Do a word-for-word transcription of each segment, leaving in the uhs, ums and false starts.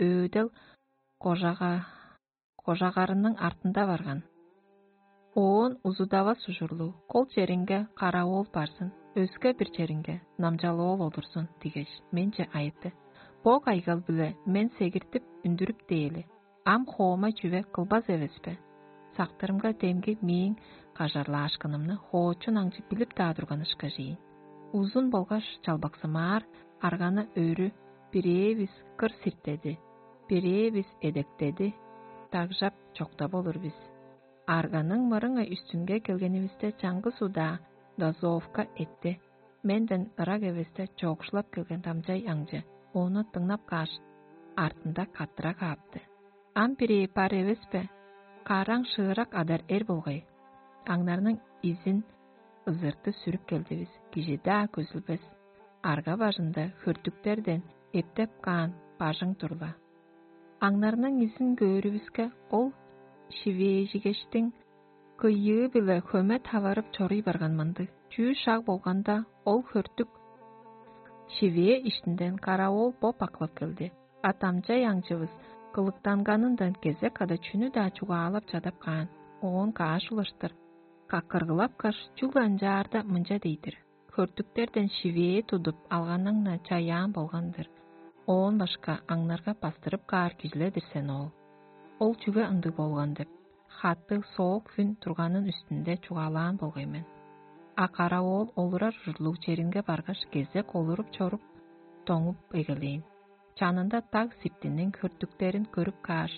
өөдел кожага кожагарының артында барган. Оон узудавас ужурлуг кол черинге каравоол барзын, өске бир черинге намчалоол олурзун дигеш, менче айытты: «Бо кайгал-биле мен сегиртип үндүрүп дээли, ам хоома чүве кылбас эвес бе?» Сактырымга демги мээң кажарлаашкынымны хоочун аңчы билип-даа турган ышкажыйын. Узун болгаш чалбаксымаар арганы өрү бирээвис кыр сиртеди, бирээвис эдектеди, дагжап чоктап олур бис. Арганың мырыңай үстүнге келгенивисте чаңгыс удаа дозовка этти. Менден ырак эвесте чоокшулап келген дамчай аңчы ону дыңнап кааш, артында каттыра каапты: «Ам бирээ бар эвес бе? Караң шыырак адар эр болгай». Аңнарның изин ызырты сүрүп келдивис, кижи-даа көзүлбес. Арга бажында хөртүктерден эптеп каан бажың турла. Аңнарның изин көөрүвүске, ол шивээжигештиң кыйыы-биле хөме таварып чоруй барган мындыг. Чүү шаг болганда, ол хөртүк шивээ иштинден каравоол боп аклап келди. А дамчай аңчывыс кылыктанганындан кезек када чүнү-даа чугаалап чадап каан. Оон каш улаштыр какыргылапкаш, чүгле ынчаарда мынча дей-дир: «Хөртүктерден шивээ тудуп алганың-на чаяан болган-дыр. Оон башка аңнарга бастырып каар кижилер-дир сен ол. Ол чүге ындыг болган?» — деп, хаттыг соок хүн турганын үстүнде чугаалаан болгай мен. А каравоол олурар ужурлуг черинге баргаш, кезек олуруп чоруп, доңуп эгелээн. Чанында даг сиптиниң хөртүктерин көрүп кааш,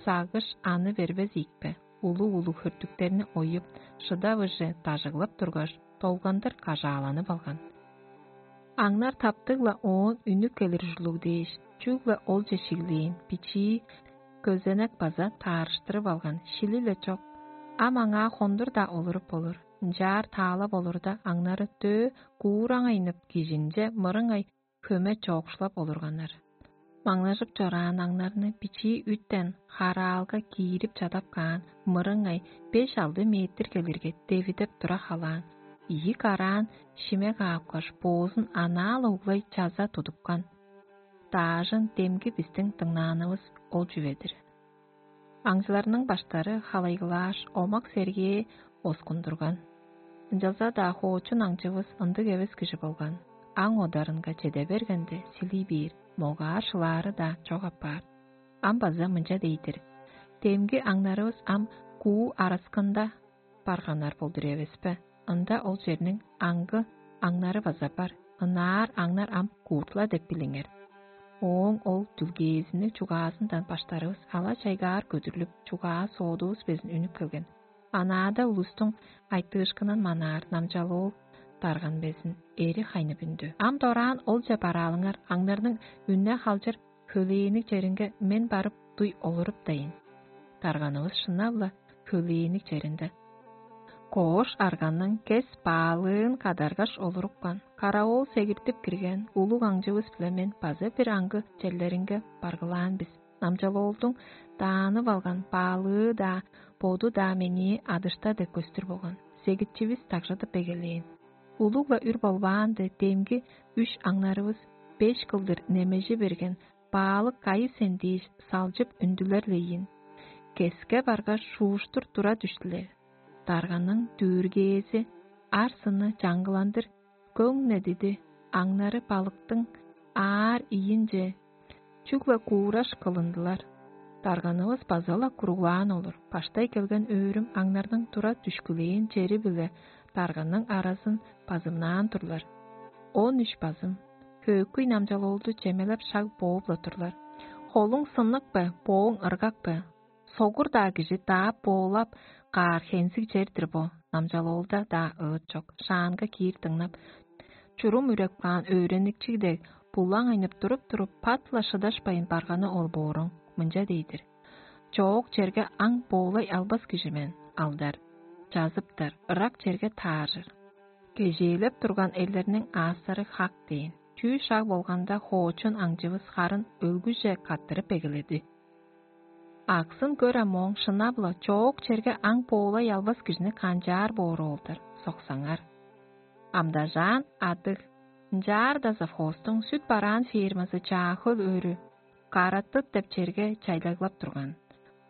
сагыш аны бербес ийикпе, улуг-улуг хөртүктерни оюп, шыдавыже дажыглап тургаш, долгандыр кажааланып алган. Аңнар таптыг-ла оон үнүп келир ужурлуг дээш, чүгле олче шиглээн, бичии көзенек база таарыштырып алган, шили-ле чок. Ам аңаа хондур-даа олуруп болур. Ынчаар таалап олурда, аңнары дөө куураңайнып, кижинче мырыңай хөме чоокшулап олурганнар. Маңнажып чораан аңнарны бичии үттен хараалга киирип чадап каан мырыңай беш-алды метр келирге девидеп тура халаан, ийи караан шиме каапкаш, боозун анаа-ла углай чаза тудупкан. Даажын демги бистиң дыңнаанывыс ол чүве-дир. Аңчыларның баштары халайгылааш, омак-сергээ оскундурган. Ынчалза-даа хоочун аңчывыс ындыг эвес кижи болган. Аң одарынга чеде бергенде, силий бээр, могаар шылаары-даа чок апаар. Ам база мынча дей-дир: «Демги аңнарывыс ам куу араскында барганнар болдур эвеспе? Ында ол черниң аңгы аңнары база бар, ынаар аңнар ам кууртла деп билиңер». Ооң ол дүлгээзинниг чугаазындан баштарывыс ала-чайгаар көдүрлүп, чугаа соодувус безин үнүп келген. Анаада улустуң айтыышкынын манаар намчалыыл дарган безин эри хайнып үндү. Ам дораан олче бараалыңар, аңнарның үнне халчыр хөлээниң черинге мен барып дуй олуруптайын. Дарганывыс шынап-ла хөлээниң черинде. Коош арганның кес баалыын кадаргаш олурупкан, каравоол сегиртип кирген улуг аңчывыс-биле мен база бир аңгы черлеринге баргылаан бис. Намчалоолдуң даанып алган баалыы-даа, боду-даа меңээ адышта деп көстүр болган. Сегитчивис дагжыдып эгелээн. Улуг-ла үр болбаанды демги үш аңнарывыс беш кылдыр немежи берген баалык кайы сен дээш салчып үндүлер-ле ийин. Кеске баргаш, шууштур тура дүштүлер. Дарганың дүргээзи ар-сынны чаңгыландыр көңнедиди, аңнары балыктың аар ийинче чүгле куураш кылындылар. Дарганывыс база-ла куруглаан олур. Баштай келген өөрүм аңнарның тура дүшкүлээн чери-биле дарганның аразын базымнаан турлар. Он үш базым, хөөкүй намчалоолду чемелеп шаг бооп-ла турлар. Холуң сыннык бе, бооң ыргак бе? Согур-даа кижи даап боолап каар хензиг чер-дир бо, намчалоолда-даа ыыт чок, шаанга киир дыңнап, чурум үреп каан өөреникчиг дег, булаң айнып туруп-туруп, пат-ла шыдашпайн барганы ол бооруң, мынча дей-дир: «Чоок черге аң боолай албас кижи мен, алдар, чазыптар, ырак черге тааржыр. Кежээлеп турган эрлерниң аастары хак дээн». Чүү шаг болганда, хоочун аңчывыс харын өлгүже каттырып эгеледи. Аксын көр ам ооң шынап-ла чоок черге аң боолай албас кижини канчаар боору ол-дур, соксаңар. Амдажаан адыг, ынчаарда совхозтуң сүт бараан фермазы чаа хөл өрү Караттыт деп черге чайлаглап турган.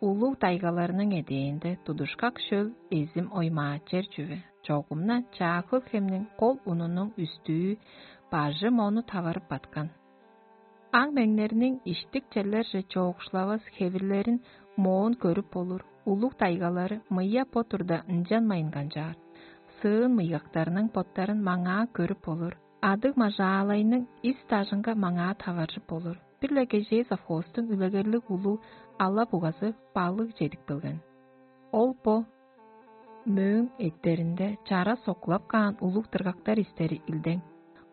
Улуг дайгаларның эдээнде тудушкак шөл эзим оймаа чер чүве, чогумна чаа хөл хемниң кол унунуң үстүү бажы мону таварып баткан. Аң меңнерниң иштик черлерже чоокшулавас хевирлерин моон көрүп болур, улуг дайгалары мыя бо турда ынчанмайн канчаар. Сыын мыйгактарның боттарын маңаа көрүп болур, адыг мажаалайның ис дажынга маңаа таваржып болур. Бир-ле кежээ совхозтуң үлегерлиг улуг ала-бугазы балыг чедип келген. Ол бо мөөң эттеринде чара сокулап каан улуг дыргактар истери илдең.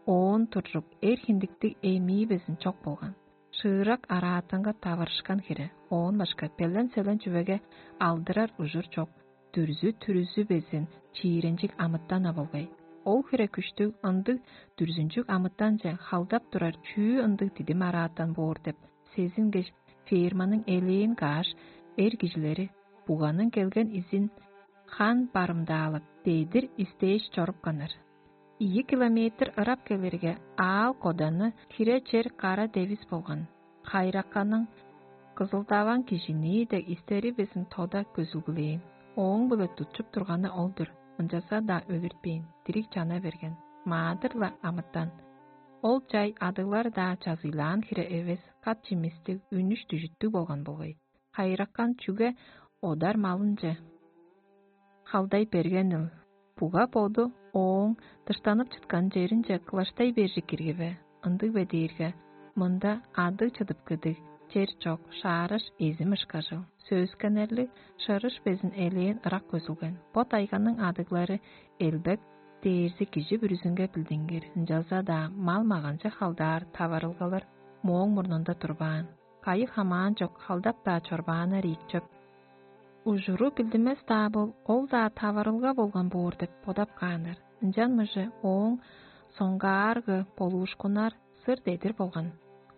Оон туржук эр хиндиктиг эми безин чок болган. Шыырак араатанга таварышкан хире, оон башка белен-селен чүвеге алдырар ужур чок. Дүрзү-түрүзү безин чииренчиг амытан-на болгай. Ол хире күштүг ындыг дүрзүнчүг амытанче халдап турар чүү ындыг дидим араатан боор деп, сезингеш, ферманың элээн кааш, эр кижилери буганың келген изин хан барымдаалап, дедир истээш чорупканнар. Ийи километр ырап келирге, аал-коданны хире чер кара девис болган. Хайракканың кызылдаваан кижини дег истери безин тода көзүлгүлээн. Ооң-биле тутчуп турганы ол-дур, ынчалза-даа өлүртпээн, дириг чана берген. Маадыр-ла амытан. Ол чай адыглар-даа чазыйлаан хире эвес, кат чимистиг, үнүш-дүжүттүг болган болгай. Хайыракан чүге одар малынче халдай бергенил? Буга боду ооң дыштанып чыткан черинче кылаштай бержик кирги бе? Ындыг бе дээрге, мында адыг чыдып кедиг чер чок, шаараш эзим ышкажыл. Сөөскеннерлиг шырыш безин элээн ырак көзүлген. Бо тайганың адыглары элбек дээрзи кижи бүрүзүнге билдингир, ынчалза-даа мал-маганчы халдаар таварылгалар мооң мурнунда турбаан. Кайы хамаан чок халдап-даа чорбааннар ийик чоп. Ужуру билдинмес-даа бол, ол-даа таварылга болган боор деп бодап кааннар. Ынчан мыжы ооң соңгааргы болуушкуннар сыр дедир болган.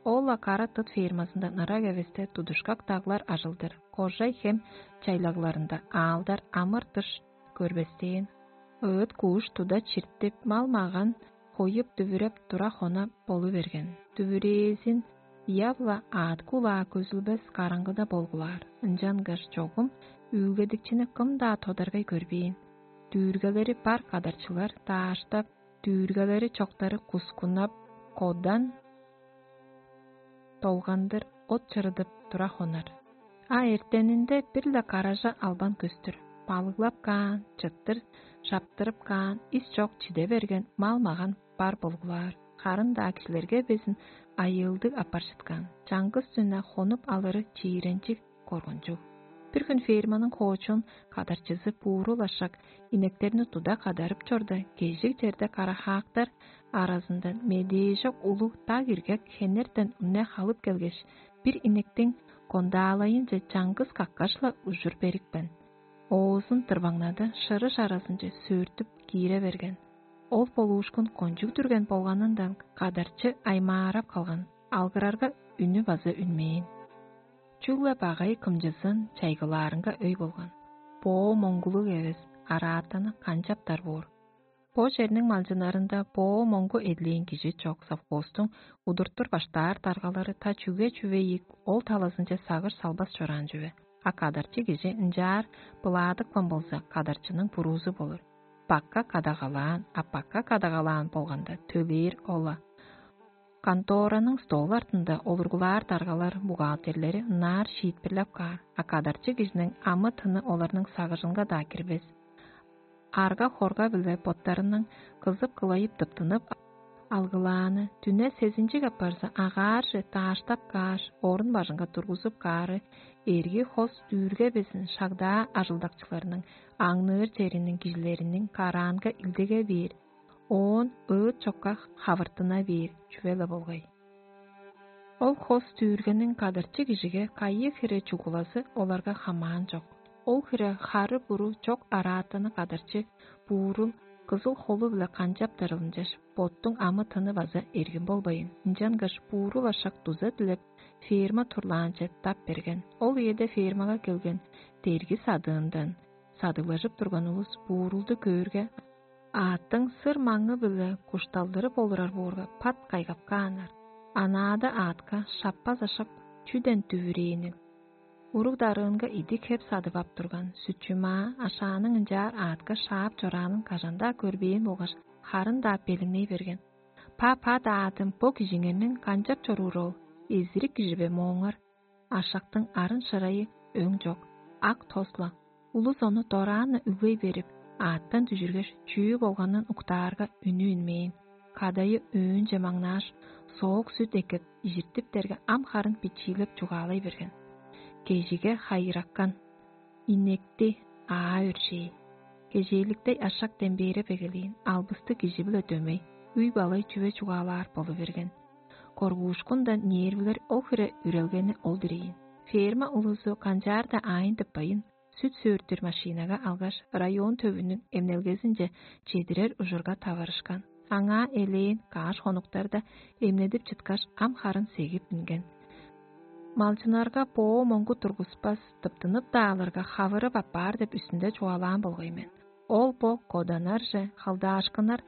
Ол-ла кара тыт фермазындан ырак эвесте тудушкак даглар ажылдыр, кожай хем чайлагларында аалдар амыр-дыш көрбестээн, ыыт-кууш туда чиртип, мал-маган хоюп дүвүреп тура хона болу берген. Дүвүрээзин ыяп-ла аът-кулаа көзүлбес караңгыда болгулаар, ынчангаш чогум үүлгедикчини кым-даа тодаргай көрбээн. Дүүргелери бар кадарчылар дааштап, дүүргелери чоктары кускуннап, кодан долгандыр от чырыдып тура хонар. А эртенинде бир-ле каража албан көстүр, балыглап каан, чыттыр шаптырып каан, ис чок чиде берген мал-маган бар болгулаар. Харын-даа кижилерге безин айыылдыг апаржыткан, чаңгыс дүне хонуп алыры чииренчиг, коргунчуг. Бир хүн ферманың хоочун кадарчызы буурул ашак инектерни туда кадарып чорда, кежиг черде карахаактар аразындан медээжок улуг даг иргек хенертен үне халып келгеш, бир инектиң кондаалайынче чаңгыс каккаш-ла ужур берипкен. Оозун дырбаңнады, шырыш аразынче сөөртүп киире берген. Ол болуушкун кончуг дүрген болганындан кадарчы аймаарап калган, алгырарга үнү база үнмээн. Чүгле багай кымчызын чайгылаарынга өй болган. Боо моңгулуг эвес, араатаны канчаптар боор. Бо черниң малчыннарында боо моңгу эдлээн кижи чок, совхозтуң удуртур баштаар даргалары та чүге чүве ийик ол талазынче сагыш салбас чораан чүве. А кадарчы кижи ынчаар былаадыпкан болза, кадарчының буруузу болур. Бакка кадагалаан, а бакка кадагалаан болганда төлээр ол-ла. Контораның стол артында олургулаар даргалар, бухгалтерлери ынаар шиитпирлеп каар, а кадарчы кижиниң амы-тыны оларның сагыжынга-даа кирбес. Арга-хорга-биле боттарының кызып-кылайып тыптынып алгылааны, дүне сезинчиг апарза, агаарже дааштап кааш, орун бажынга тургузуп каары, эрги хос дүүрге безин шагдаа ажылдакчыларының аңныыр чериниң кижилериниң караанга илдеге бээр, оон ыыт чокка хавыртына бээр чүве-ле болгай. Ол хос дүүргениң кадарчы кижиге кайы хире чугулазы оларга хамаан чок. Ол хире хары-буру чок араатаны кадарчы буурул кызыл холу-биле канчаптар ылынчаш, боттуң амы-тыны база эргин болбайн, ынчангаш буурул ашак дуза дилеп, ферма турлаанче дап берген. Ол үеде фермага келген дерги садыындан садыглажып турган улус буурулду көөрге, аъттың сыр маңы-биле кушталдырып олурар боорга, пат кайгап кааннар. Анаада аътка шаппас ашак чүден дүвүрээнил? Уруг-дарыынга идик хеп садып ап турган, сүтчү-маа, ашааның ынчаар аътка шаап чораанын кажан-даа көрбээн болгаш, харын-даа белеңней берген: «Па-па-даа, аъдым, бо кижиңерниң канчап чоруур ол? Эзирик кижи бе мооңар?» Ашактың арын-шырайы өң чок, ак тос-ла. Улус ону дораан-на үглей берип, аъттан дүжүргеш, чүү болганын уктаарга, үнү үнмээн. Кадайы өөнче маңнааш, соок сүт эккеп, ижиртиптерге, ам харын бичиилеп чугаалай берген: «Кежиге хайыракан, инекти, аа өршээ». Кежээликтей ашак дембээреп эгелээн, албысты кижи-биле дөмей, үй-балай чүве чугаалаар болу берген. Коргуушкундан нервилер ол хире үрелгени ол-дур ийин. Ферма улузу канчаар-даа аайын тыппайн, сүт сөөртүр машинага алгаш, район төвүнүң эмнелгезинче чедирер ужурга таварышкан. Аңаа элээн каш хонуктарда эмнедип чыткаш, ам харын сегип үнген. Малчыннарга боо моңгу тургуспас, тыптынып-даа алырга, хавырып аппаар деп үстүнде чугаалаан болгай мен. Ол бо коданарже халдаашкыннар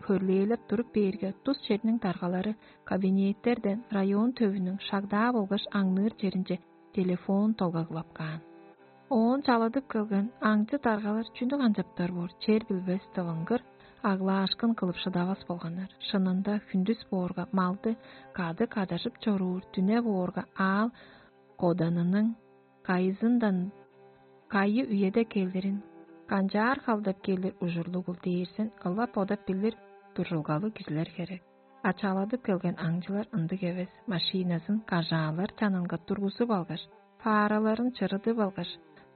хөрлээлеп туруп бээрге, тус черниң даргалары кабинеттерден район төвүнүң шагдаа болгаш аңныыр черинче телефон долгагылап каан. Оон чаладып келген аңчы даргалар чүнү канчаптар боор, чер билбес, дывыңгыр, аглаашкын кылып шыдавас болганнар. Шынында, хүндүс боорга малды кады кадажып чоруур, дүне боорга аал коданының кайызындан, кайы үеде келирин, канчаар халдап келир ужурлугул дээрзин ылап бодап билир дуржулгалыг кижилер херек. А чаладып келген аңчылар ындыг эвес, машиназын кажаалар чанынга тургузуп алгаш, фаараларын чырыдып алгаш,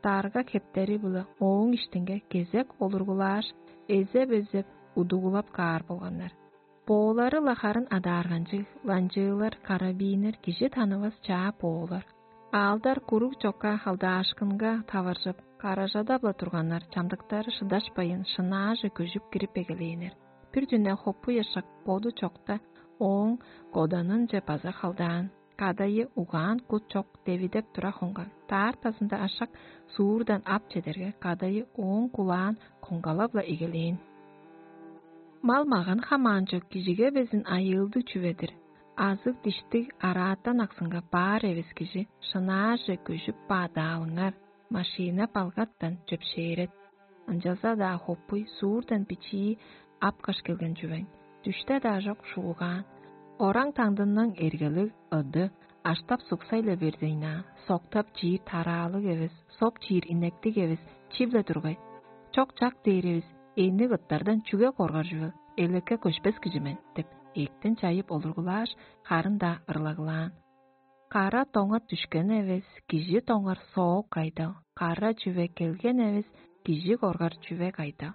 дарга хептери-биле ооң иштинге кезек олургулааш, эзеп-эзеп удугулап каар болганнар. Боолары-ла харын адаарганчыг, ланчыылар, карабиннер, кижи танывас чаа боолар. Аалдар куруг чокка халдаашкынга таваржып, каражада-ла турганнар, чамдыктары шыдашпайн, шынааже көжүп кирип эгелээннер. Бир дүне хоппуй ашак боду чокта ооң коданынче база халдаан. Кадайы угаан кут чок девидеп тура хонган. Даартазында ашак суурдан ап чедерге, кадайы ооң кулаан коңгалап-ла эгелээн. Мал-маган хамаан чок кижиге безин айыылдыг чүве-дир. Азыг-диштиг араатан аксынга баар эвес кижи шынааже көжүп бадаалыңар, машина-балгаттан чөпшээрет. Ынчалза-даа хоппуй суурдан бичии апкаш келген чүвең. Дүште-даа чок шуугаан. Ораң таңдынның эргелиг ыды аштап суксай-ла бердейн-аа, соктап чиир тараалыг эвес, соп чиир инектиг эвес, чип-ле тургай. Чок-чак дээр эвес, эъниг ыттардан чүге коргар чүвел, элекке көшпес кижи мен деп, эктен чайып олургулааш, харын-даа ырлагылаан. Кара доңа дүшкен эвес, кижи доңар соок кайдал, кара чүве келген эвес, кижи коргар чүве кайдал.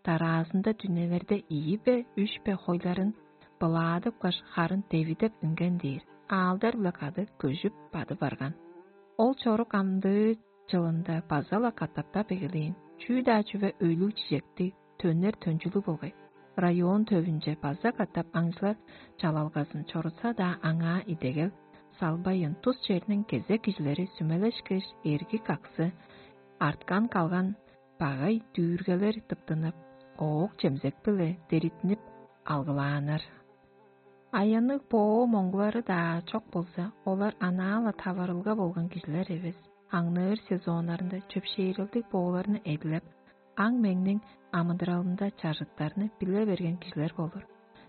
Дараазында дүнелерде ийи бе, үш бе хойларын былаадыпкаш, харын девидеп үнген дээр, аалдар-биле кады көжүп бады барган. Ол чорук амдыы чылында база-ла катаптап эгелээн, чүү-даа чүве өйлүг-чижектиг, төнер-төнчүлүг болгай. Район төвүнче база катап аңчылар чалалгазын чорутса-даа, аңаа идегел салбайын, тус черниң кезек кижилери сүмелешкеш, эрги-каксы арткан-калган багай дүүргелер тыптынып, оок-чемзек-биле деритинип алгылааннар. Аянныг боо моңгулары-даа чок болза, олар анаа-ла таварылга болган кижилер эвес. Аңныыр сезоннарында чөпшээрелдиг бооларны эдилеп, аң-меңниң амыдыралында чажыттарны биле берген кижилер болур.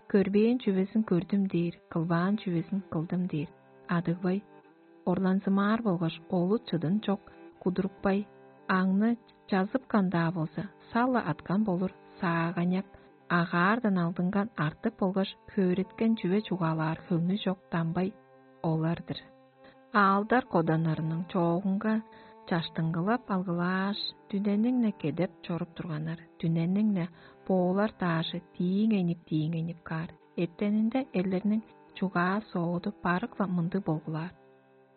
Көрбээн чүвезин көрдүм дээр, кылбаан чүвезин кылдым дээр. Адыгбай орланзымаар болгаш, олут-чыдын чок кудурупкай, аңны чазыпкан-даа болза, сал-ла аткан болур сааганяк, агаардан алдынган артык болгаш, хөөрүткен чүве чугаалаар хөңнү чок дамбай олар-дыр. Аалдар коданнарының чоогунга чаштыңгылап алгылааш, дүнениң-не кедеп чоруп турганнар, дүнениң-не боолар даажы дииңейнип-дииңейнип каар. Эртенинде эрлерниң чугаа-сооду барык-ла мындыг болгулаар.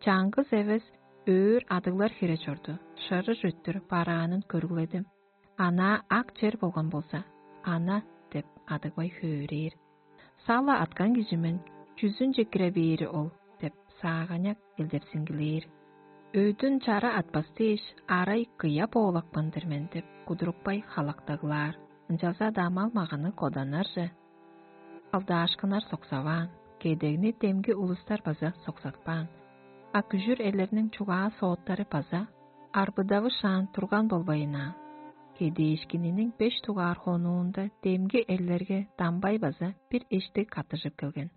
Чаңгыс эвес өөр адыглар хире чорду, шырыш өттүр бараанын көргүледим. Анаа ак чер болган болза, ана деп адыгбай хөөрээр. Сала аткан кижи мен, чүзүнче кире бээри ол деп, сааганяк элдепсингилээр. Өдүн чара атпас дээш, арай кыя боолакпан-дыр мен деп, кудурупкай халактаглаар. Ынчалза-даа мал-маганы коданнарже алдаашкыннар соксаваан, кедегни демги улустар база соксатпаан. А күжүр элерниң чугаа сооттары база арбыдавышаан турган болбайын аа. Кедээшкининиң беш дугаар хонуунда демги эллерге дамбай база бир эштиг каттыжып келген.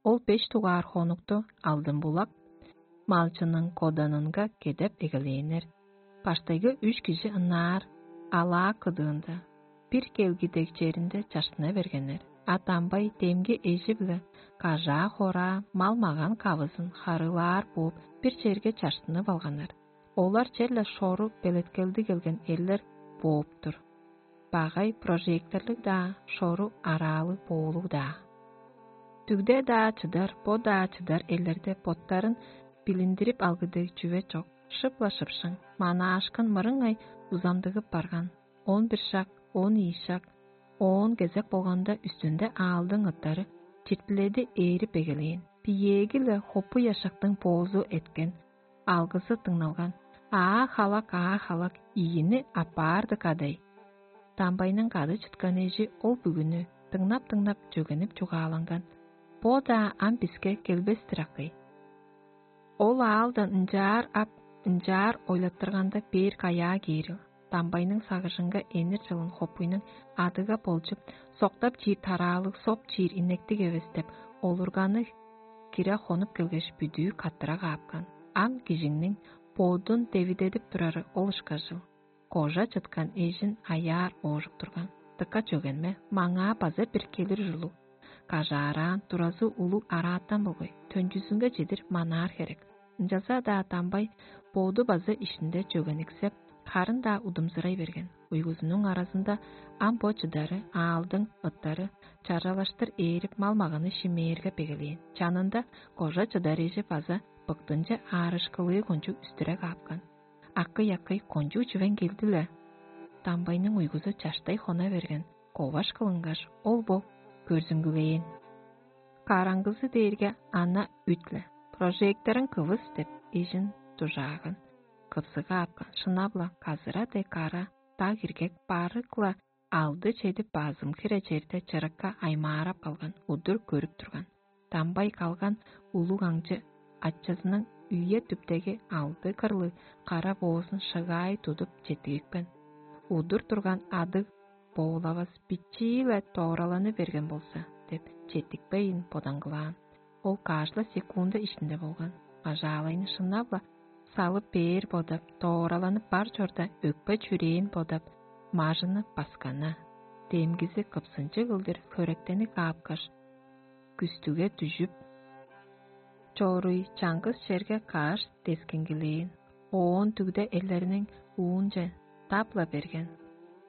Ол беш дугаар хонукту алдын-булак малчының коданынга кедеп эгелээннер. Баштайгы үш кижи ынаар алаа кыдыында, бир келги дег черинде чаштына бергеннер, а дамбай демги эжи-биле кажаа-хораа, мал-маган кавызын харыылаар бооп, бир черге чаштынып алганнар. Олар черле шору белеткелди келген эрлер бооп-тур. Багай прожекторлуг-даа, шору араалыг боолуг-даа. Дүгде-даа чыдар, бо-даа чыдар эрлерде боттарын билиндирип алгы дег чүве чок, шып-ла шыпшың, манаашкын мырыңай узамдыгып барган. Он бир шак, он ийи шак, оон кезек болганда үстүнде аалдың ыттары чиртиледи ээрип эгелээн. Биеэги-ле хопу яшактың боозу эткен, алгызы дыңналган: «Аа халак, аа халак, ийини аппаарды кадай!» Дамбайның кады чыткан эжи ол бүгүнү дыңнап-дыңнап чөгенип чугааланган: «Бо-даа ам биске келбес-тир акый. Ол аалдан ынчаар ап, ынчаар ойлаттырганда бээр каяа кээрил?» Дамбайның сагыжынга энир чылын хопуйнуң адыга болчуп, соктап чиир тараалыг, соп чиир иннектиг эвес деп олурганы кире хонуп келгеш, бүдүү каттыра каапкан. Ам кижиңниң бодун девидедип турары ол ышкажыл. Кожа чыткан эжин аяар оожук турган. Дыка чөгенме, маңаа база бир келир ужурлуг. Кажаараан, туразы улуг араатан болгай, төнчүзүнге чедир манаар херек. Ынчалза-даа дамбай боду база иштинде чөгениксеп, харын-даа удумзурай берген. Уйгузунуң аразында ам бо чыдары, аалдың ыттары чаралаштыр ээрип, мал-маганы шимээрге бегелээн. Чанында кожа чыдар эжи база быктынче аарышкылыы кончуг үстүреп аапкан. «Акый-акый, кончуг чүвең келди-ле?» Дамбайның уйгузу чаштай хона берген, коваш кылынгаш, ол бо көрзүңгүлээн. Караңгызы дээрге ана үт-ле. «Прожекторуң кывыс» деп, эжин дужааган. Кыпсыга апкан, шынап-ла, казыра дег кара даг иргек барык-ла алды-чеди базым хире черде чырыкка аймаарап калган, удур көрүп турган. Дамбай калган улуг аңчы ачазының үе-түптеги алды кырлыг кара боозун шыгаай тудуп четтигипкен. Удур турган адыг боолавас бичии-ле доораланы берген болза деп, четтикпейн бодаңгылаан. Ол каш-ла секунда иштинде болган. Ажаалайны шынап-ла салып бээр бодап, доораланып бар чорда, өкпе-чүрээн бодап, мажыны баскана. Демгизи кыпсынчыг кылдыр хөректени каапкаш, күстүге дүжүп, чоруй чаңгыс черге каш дескиңгилээн, оон дүгде эллериниң уунче дап-ла берген.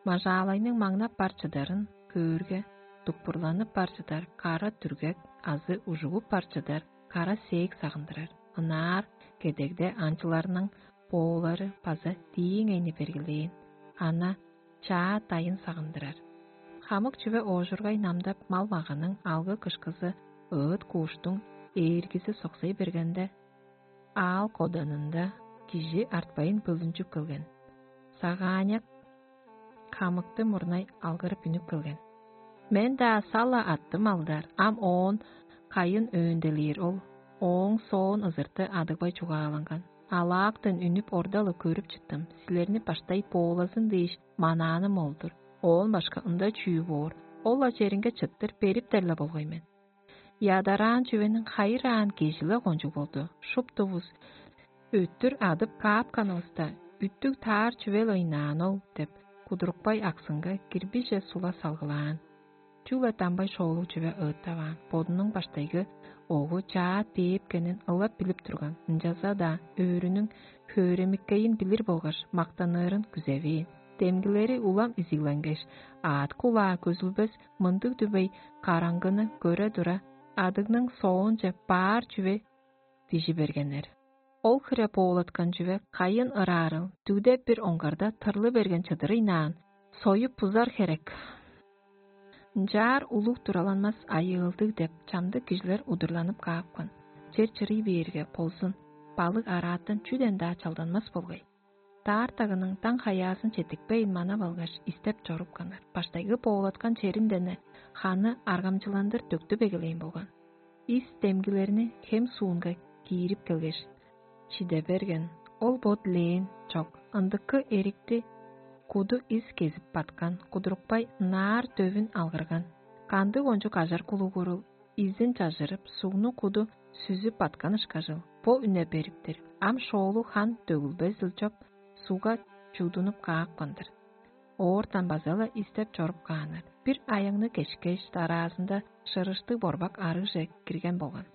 Мажаалайның маңнап бар чыдарын көөрге, дукпурланып бар чыдар кара дүргек азы ужугуп бар чыдар кара сээк сагындырар. Ынаар кедегде анчыларның боолары база дииң эни бергилээн. Ана чаа дайын сагындырар. Хамык чүве оожургай намдап, мал-маганың алгы-кышкызы, ыыт-кууштуң ээргизи соксай бергенде, аал коданында кижи артпайн бөлүнчүп келген. Сагааняк хамыкты мурнай алгырып үнүп келген: «Мен-даа сала аттым алдар, ам оон кайын өөнделээр ол?» Ооң соон ызырты адыгбай чугааланган: «Алаактан үнүп, орда-ла көрүп чыттым, силерни баштай боолазын дээш манааным ол-дур. Оон башка ында чүү боор? Ол-ла черинге чыттыр бериптер-ле болгай мен. Ядараан чүвениң хайыраан кежи-ле кончуг болду. Шуптувус өттүр адып каапканывыста, үттүг таар чүвел ыйнаан ол» деп, кудурупкай аксынга кирбиже сула салгылаан. Чүгле дамбай шоолуг чүве ыыттаваан, бодунуң баштайгы огу чаа дээпкенин ылап билип турган, ынчалза-даа өөрүнүң хөөремиккейин билир болгаш, мактаныырын күзевээн. Демгилери улам изигленгеш, аът кулаа көзүлбес мындыг дүвей караңгыны көре тура, адыгның соонче баар чүве дижи бергеннер. Ол хире боолаткан чүве кайын ыраарыл, дүгде бир оңгарда тырлы берген чыдырыйнаан, союп бузар херек. Ынчаар улуг тураланмас айыылдыг деп, чамдык кижилер удурланып каапкан. Чер чырый бээрге болзун, балык араатан чүден-даа чалданмас болгай. Даартагының даң хаяазын четтикпейн манап алгаш, истеп чорупканнар. Баштайгы боолаткан черинден-не ханы аргамчыландыр төктүп эгелээн болган. Ис демгилерни хем суунга киирип келгеш, чиде берген. Ол бо дилээн чок, ындыкы эрикти куду ис кезип баткан, кудурупкай ынаар дөвүн алгырган. Кандыг ончук ажар кулугурул изин чажырып, сугну куду сүзүп баткан ышкажыл, бо үне бериптир. Ам шоолу хан дөгүлбезил чоп, сугга чудунуп каапкан-дыр. Оортан база-ла истеп чоруп кааннар. Бир аягны кешкеш, дараазында шырыштыг борбак арыгже кирген болган.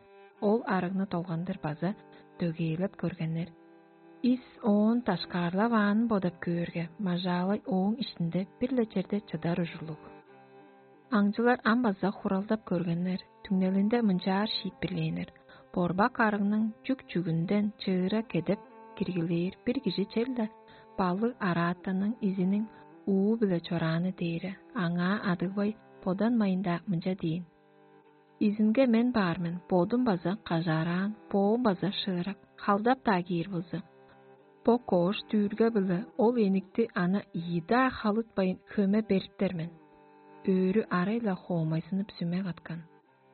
Ол арыгны долгандыр база дөгээлеп көргеннер. Ис оон дашкаарлаваанын бодап көөрге, мажаалай ооң иштинде бир-ле черде чыдар ужурлуг. Аңчылар ам база хуралдап көргеннер, түңнелинде мынчаар шиитпирлээннер: борбак арыгның чүк-чүгүнден чыыра кедеп киргилээр бир кижи чел-ле балыг араатанның изиниң уу-биле чорааны дээре. Аңаа адыгбай боданмайн-даа мынча дээн: «Изинге мен баар мен, бодум база кажаараан, боом база шыырак, халдап-даа кээр болза, бо коош дүүрге-биле ол эникти ана ийи-даа халытпайн хөме бериптер мен». Өөрү арай-ла хоомайзынып сүме каткан.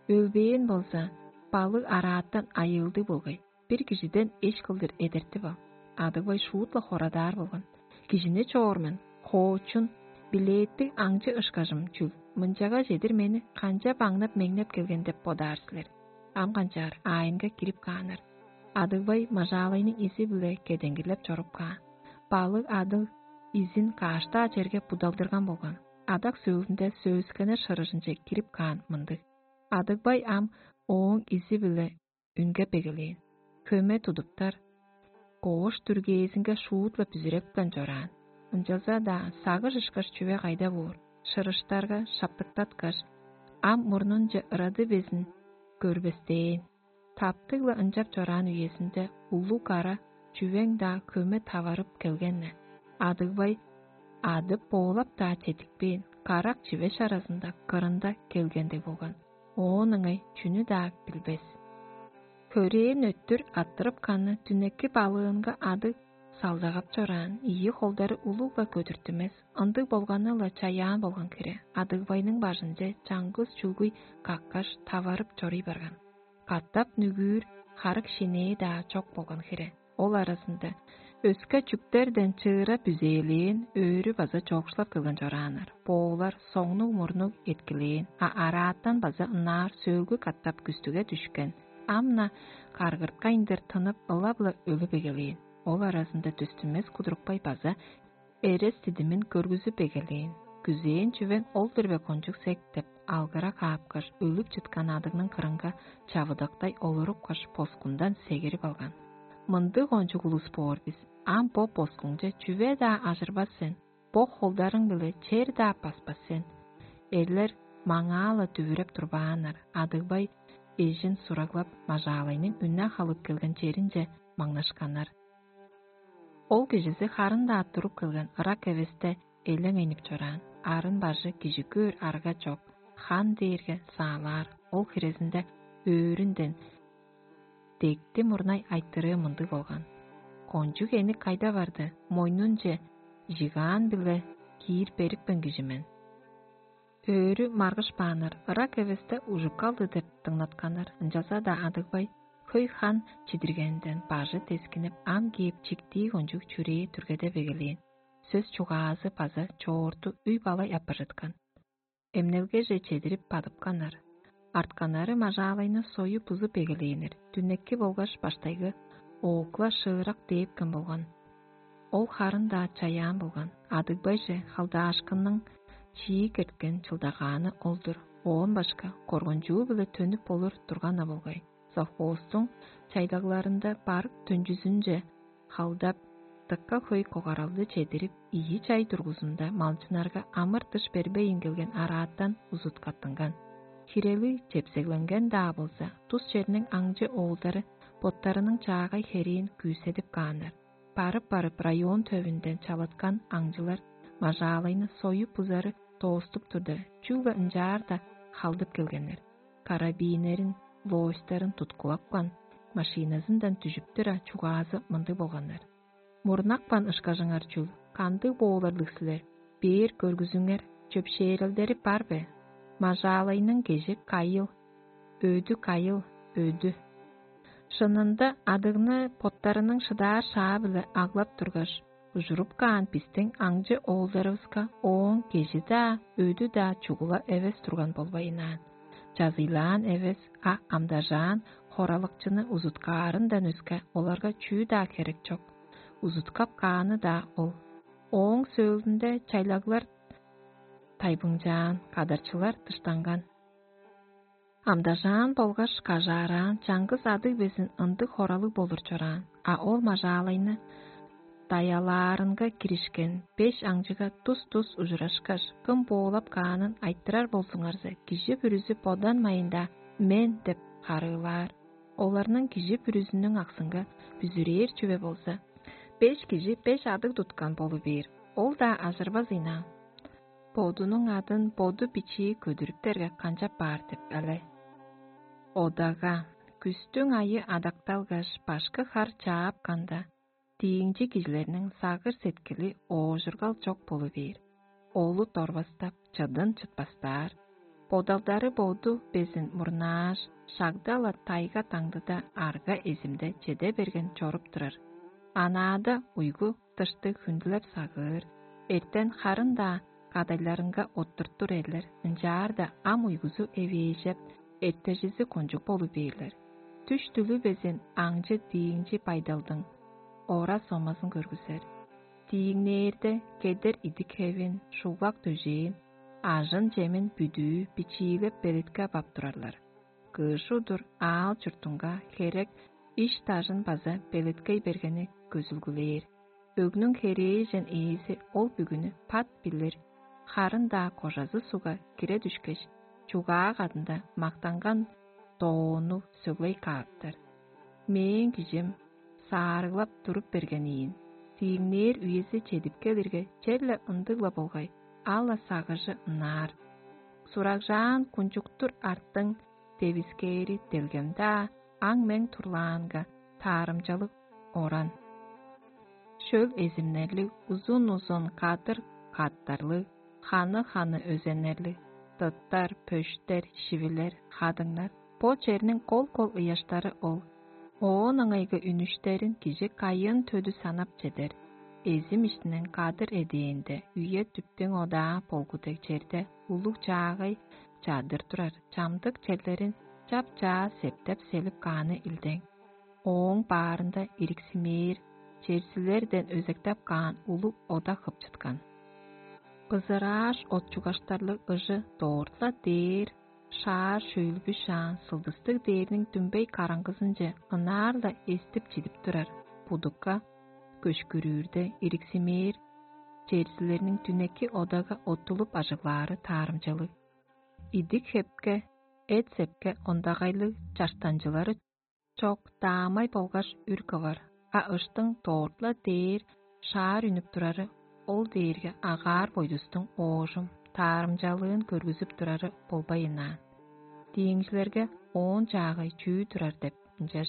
Өлбээн болза, балыг арааттан айыылдыг болгай, бир кижиден эш кылдыр эдертип ал. Адыгбай шуут-ла хорадаар болган: «Кижини чоор мен, хоочун, билээттиг аңчы ышкажым чүл, мынчага чедир мени канчап аңнап-меңнеп келген деп бодаар силер?» Ам канчаар аайынга кирип кааннар. Адыгбай мажаалайның изи-биле кедеңгилеп чоруп каан. Балыг адыг изин каш-даа черге будалдырган болган. Адак сөөлүнде сөөскеннер шырыжынче кирип каан мындыг: «Адыгбай ам ооң изи-биле үнге бегелээн, хөме тудуптар, коош дүргээзинге шуут-ла бүзүрепкен чораан. Ынчалза-даа сагыш ышкаш чүве кайда боор, шырыштарга шаптыктаткаш, ам мурнунче ырады безин көрбестээн». Таптыг-ла ынчап чораан үезинде улуг кара чүвең-даа хөме таварып келген-не. Адыгбай адып боолап-даа чедикпээн, карак чивеш аразында кырында келгендиг болган. Оон ыңай чүнү-даа билбес. Хөрээн өттүр аттырып каны дүнеки балыынга адыг салдагап чораан, ийи холдары улуг-ла көдүртүмес, ындыг болганы-ла чаяан болган хире, Адыгбайның бажынче чаңгыс чүлгүй каккаш, таварып чоруй барган. Катап нүгүүр харык шинээ-даа чок болган хире. Ол аразында өске чүктерден чыыра бүзээлээн, өөрү база чоокшулап келген чорааннар. Боолар соңнуг-мурнуг эткилээн, а араатан база ынаар сөөлгү катап күстүге дүшкен. Ам-на каргырткайындыр тынып, ылап-ла өлүп эгелээн. Ол аразында дүстүмес кудурупкай база эрес-дидимин көргүзүп эгелээн. «Күзээн чүвең ол-дур бе, кончуг сек?» — деп алгыра каапкаш, өлүп чыткан адыгның кырынга чавыдактай олурупкаш, поскундан сегирип алган. «Мындыг кончуг улус боор бис, ам бо поскуңче чүве-даа ажырбас сен, бо холдарың-биле чер-даа баспас сен». Эрлер маңаа-ла дүвүреп турбааннар, Адыгбай эжин сураглап, мажаалайның үне халып келген черинче маңнашканнар. Ол кижизи харын-даа туруп келген ырак эвесте элең энип чораан, арын бажы кижи көөр арга чок, хан дээрге саалаар, ол хирезинде өөрүнден дегти мурнай айтырыы мындыг болган: «Кончуг эник кайда барды, мойнунче жигаан-биле киир берипкен кижи мен». Өөрү маргыш бааннар, ырак эвесте ужук калды деп дыңнатканнар, ынчалза-даа Адыгбай хөй хан чидиргенден бажы тескинип, ам кээп чиктии кончуг чүрээ түргедеп эгелээн. Сөс-чугаазы база чоорту үй-балай апаржыткан. Эмнелгеже чедирип бадыпканнар. Артканнары мажаалайны союп бузуп эгелээннер, дүнекки болгаш баштайгы оокла шыырак дээпкен болган. Ол харын-даа чаяан болган. Адыгбайже халдаашкынның чиик эрткен чылдагааны ол-дур. Оон башка коргунчуу-биле төнүп болур турган-на болгай. Совхозтуң чайдагларында барык төнчүзүнче халдап, дыка хөй когаралды чедирип, ийи чай дургузунда малчыннарга амыр-дыш бербейн келген араатан узуткаттынган. Хирели чепсегленген-даа болза, тус черниң аңчы оолдары боттарының чаагай херээн күүседип кааннар. Барып-барып район төвүнден чалыткан аңчылар мажаалайны союп бузары дооступ турда, чүгле ынчаар-даа халдып келгеннер. Карабиннерин, лоостарын туткулапкан, машиназындан дүжүп тура, чугаазы мындыг болганнар: «Мурнапкан ышкажыңар чүл, кандыг боорларлыг силер? Бээр көргүзүңер, чөпшээрелдери бар бе? Мажаалайның кежи кайыл, өдү кайыл, өдү». Шынында адыгны боттарының шыдаар шаа-биле аглап тургаш, ужуруп каан бистиң аңчы оолдарывыска ооң кежи-даа, өдү-даа чугула эвес турган болбайынаан. Чазыйлаан эвес, а амдажаан хоралыкчыны узуткаарындан өске оларга чүү-даа херек чок. Узуткап кааны-даа ол. Ооң сөөлүнде чайлаглар тайбыңчаан, кадарчылар дыштанган. Амдажаан болгаш кажаараан чаңгыс адыг безин ындыг хоралыг болур чораан, а ол мажаалайны даялаарынга киришкен беш аңчыга тус-тус ужурашкаш, кым боолап каанын айтырар болзуңарза, кижи бүрүзү боданмайн-даа «Мен» деп харыылаар. Оларның кижи бүрүзүнүң аксынга бүзүрээр чүве болза, беш кижи беш адыг туткан болу бээр, ол-даа ажырбас ыйнаан. Бодунуң адын боду бичии көдүрүптерге канчап баар деп але? Одага, күстүң айы адакталгаш, башкы хар чаапканда, дииңчи кижилерниң сагыш-сеткили оожургал чок болу бээр, олут орвастап, чыдын чытпастаар. Бодалдары боду безин мурнааш, шагда-ла тайга-таңдыда арга-эзимде чеде берген чоруп турар. Анаада уйгу дышты хүндүлеп сагыыр, эртен харын-даа кадайларынга оттуртур эрлер, ынчаарда ам уйгузу эвээжеп, эртежизи кончуг болу бээрлер. Түш-түлү безин аңчы дииңчи байдалдың ора-сомазын көргүзер. Дииңнээрде кедер идик-хевин, шуглак дөжээн, ажын-чемин бүдүү бичиилеп белеткеп ап турарлар. Кыш удур аал-чуртунга херек иш-дажын база белеткей бергени көзүлгүлээр. Өгнүң херээжен ээзи ол бүгүнү пат билир, харын-даа кожазы сугга кире дүшкеш, чугаа кадында мактанган доону сөглей кааптар. Мээң кижим саарыглап туруп берген ийин. Дииңнээр үези чедип келирге, черле ындыг-ла болгай, ала сагыжы ынаар. Сурагжаан кунчуктур арттың девискээри делгем-даа, аң-мең турлаанга таарымчалыг оран. Шөл эзимнерлиг, узун-узун кадыр каттарлыг, ханы-ханы өзеннерлиг, дыттар, пөштер, шивилер, хадыңнар, бо черниң кол-кол ыяштары ол. Оон ыңайгы үнүштерин кижи кайыын төдү санап чедер. Эзим иштиниң кадыр эдээнде үе-дүптүң одаа болгу дег черде улуг чаагай чадыр турар, чамдык черлерин чап-чаа септеп-селип кааны илдең. Ооң баарында ириксимээр, черсилерден өзектеп каан улуг ода хып чыткан. Бызырааш от чугаштарлыг ыжы дорт-ла дээр, шаар шөйлбү шаан сылдыстыг дээрниң дүмбей караңгызынче ынаар-ла эстип чидип турар, будукка көшкүрүүрде ириксимээр, черзилерниң дүнеки одага оттулуп ажыглаары таарымчалыг. Идик-хепке, эт-сепке ондагайлыг чаштанчылары чок даамай болгаш үр кывар, а ыштың дорт-ла дээр шаар үнүп турары ол дээрге агаар бойдустуң оожум, таарымчалыын көргүзүп турары болбайынаан. Дииңчилерге оон чаагай чүү турар деп ынчаш.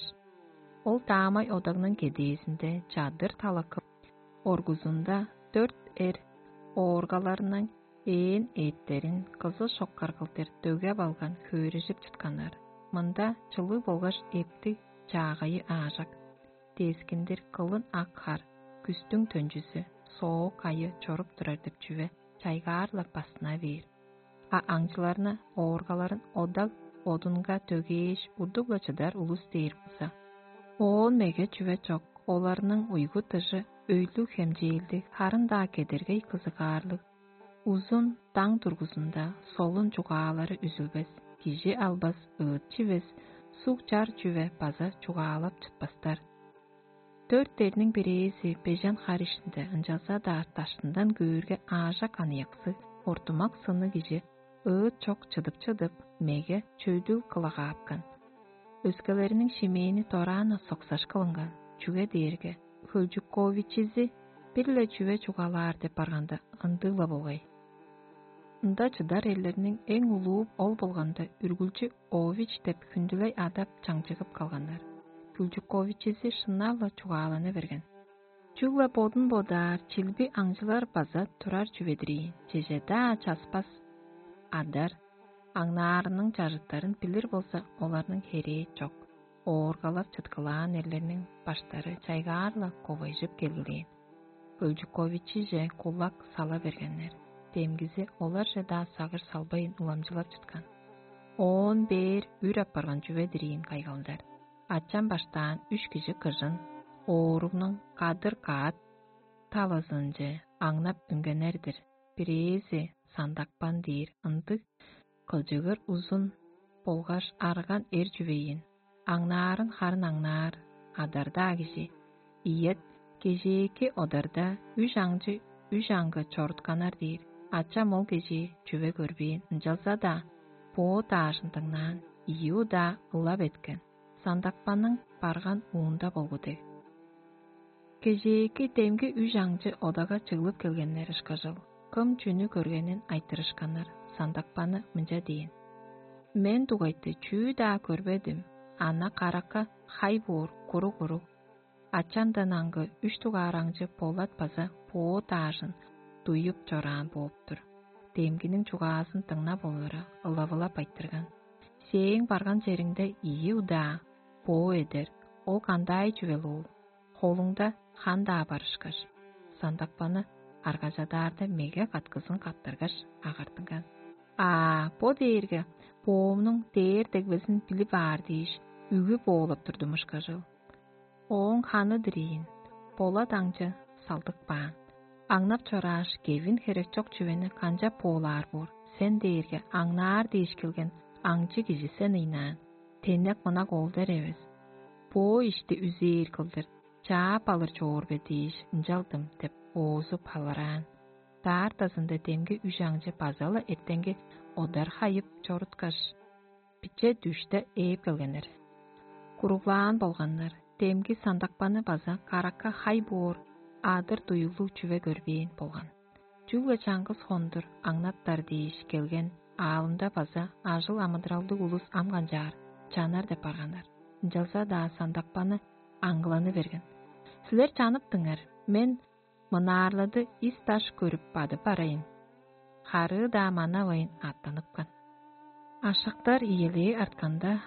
Ол даамай одагның кедээзинде чадыр талакып, оргузунда дөрт эр ооргаларының ээн ээттерин кызыл шоккар кылдыр дөгеп алган хөөрежип чытканнар. Мында чылыг болгаш эптиг чаагайы аажак, дескиндир кылын ак хар, күстүң төнчүзү, соок айы чоруп турар деп чүве чайгаар-ла басына бээр. А аңчыларны ооргаларын одаг одунга дөгээш, удуг-ла чыдар улус дээр болза. Оон меге чүве чок, оларның уйгу-дыжы өйлүг хемчээлдиг, харын-даа кедергей кызыгаарлыг, узун даң дургузунда солун чугаалары үзүлбес, кижи албас ыыт чивес, суг чар чүве база чугаалап чытпастар. Дөрт дерниң бирээзи бежен хар ишинде ынчалза-даа даштындан көөрге аажак аныяксы, ортумак сыны кижи ыыт чок чыдып-чыдып, меге чөдүл кылагаапкан. Өскелериниң шимээни дораан-на соксаш кылынган, чүге дээрге хөлчүковичизи бир-ле чүве чугаалаар деп барганда ындыг-ла болгай. Ында чыдар эрлерниң эң улуу ол болганда үргүлчү Ович деп хүндүлей адап чаңчыгып калганнар. Хөлчүковичизи шынап-ла чугаалана берген. Чүгле бодун бодаар чилби аңчылар база турар чүве-дир ийин, чеже-даа часпас адар, аңнаарының чажыттарын билир болза, оларның херээ чок. ооргалап чыткылаан эрлерниң баштары чайгаар-ла ковайжып келгилээн. Өлчүковичиже кулак сала бергеннер. Демгизи оларже-даа сагыш салбайн уламчылап чыткан. Оон бээр үр апарган чүве-дир ийин кайгалдар. Ачам баштаан үш кижи кыжын, ооругнуң кадыр каат талазынче аңнап үнгеннер-дир. Бирээзи сандакпан дээр ындыг кылчыгыр узун болгаш арган эр чүвейин. Аңнаарын харын аңнаар, адарда кижи. Иет кежээки одарда үш аңчы үш аңгы чорутканар дээр. Ачам ол кежээ чүве көрбээн, ынчалза-даа боо даажын дыңнаан, ийи удаа ылап эткен. Сандакпанның барган уунда болгу дег. Кежээки демги үш аңчы одага чыглып келгеннер ышкажыл, кым чүнү көргенин айтырышканнар. Сандакпаны мынча дээн: «Мен дугайты чүү-даа көрбедим, ана каракка хай боор куруг-куруг. Ачандан аңгы үш дугаар аңчы болат база боо даажын дуюп чораан бооп-тур». Демгиниң чугаазын дыңнап олура, ылавылап айтырган: «Сээң барган чериңде ийи удаа боо эдер, ол кандай чүвел ол? Холуңда хан-даа бар ышкаш». Сандакпаны аргажадаарда меге каткызын каптаргаш, агартынган: «Аа, бо дээрге боомнуң дээр дегбезин билип аар дээш, үгү боолап турдум ышкажыл. Ооң ханы-дыр ийин, болат аңчы салдык баан. Аңнап чорааш, кевин херек чок чүвени канчап боолаар боор? Сен дээрге аңнаар дээш келген аңчы кижи сен ыйнаан. Тенек-мынак ол-дер эвес. Бо ишти үзээр кылдыр чаап алыр чоор бе дээш ынчалдым» — деп оозу палыраан. Даартазында демги үш аңчы база-ла эртенги одар хайып чоруткаш, биче дүште ээп келгеннер. Куруглаан болганнар, демги сандакпаны база каракка хай боор адыр дуюглуг чүве көрбээн болган. Чүгле чаңгыс хондур аңнаттар дээш келген аалында база ажыл амыдыралдыг улус ам канчаар чанар деп барганнар. Ынчалза-даа сандакпаны аңгыланы берген: «Силер чаныптыңар, мен мынаарлады ис-даш көрүп бадып барайын». Харыы-даа манавайн аттаныпкан. Ашактар иелээ артканда,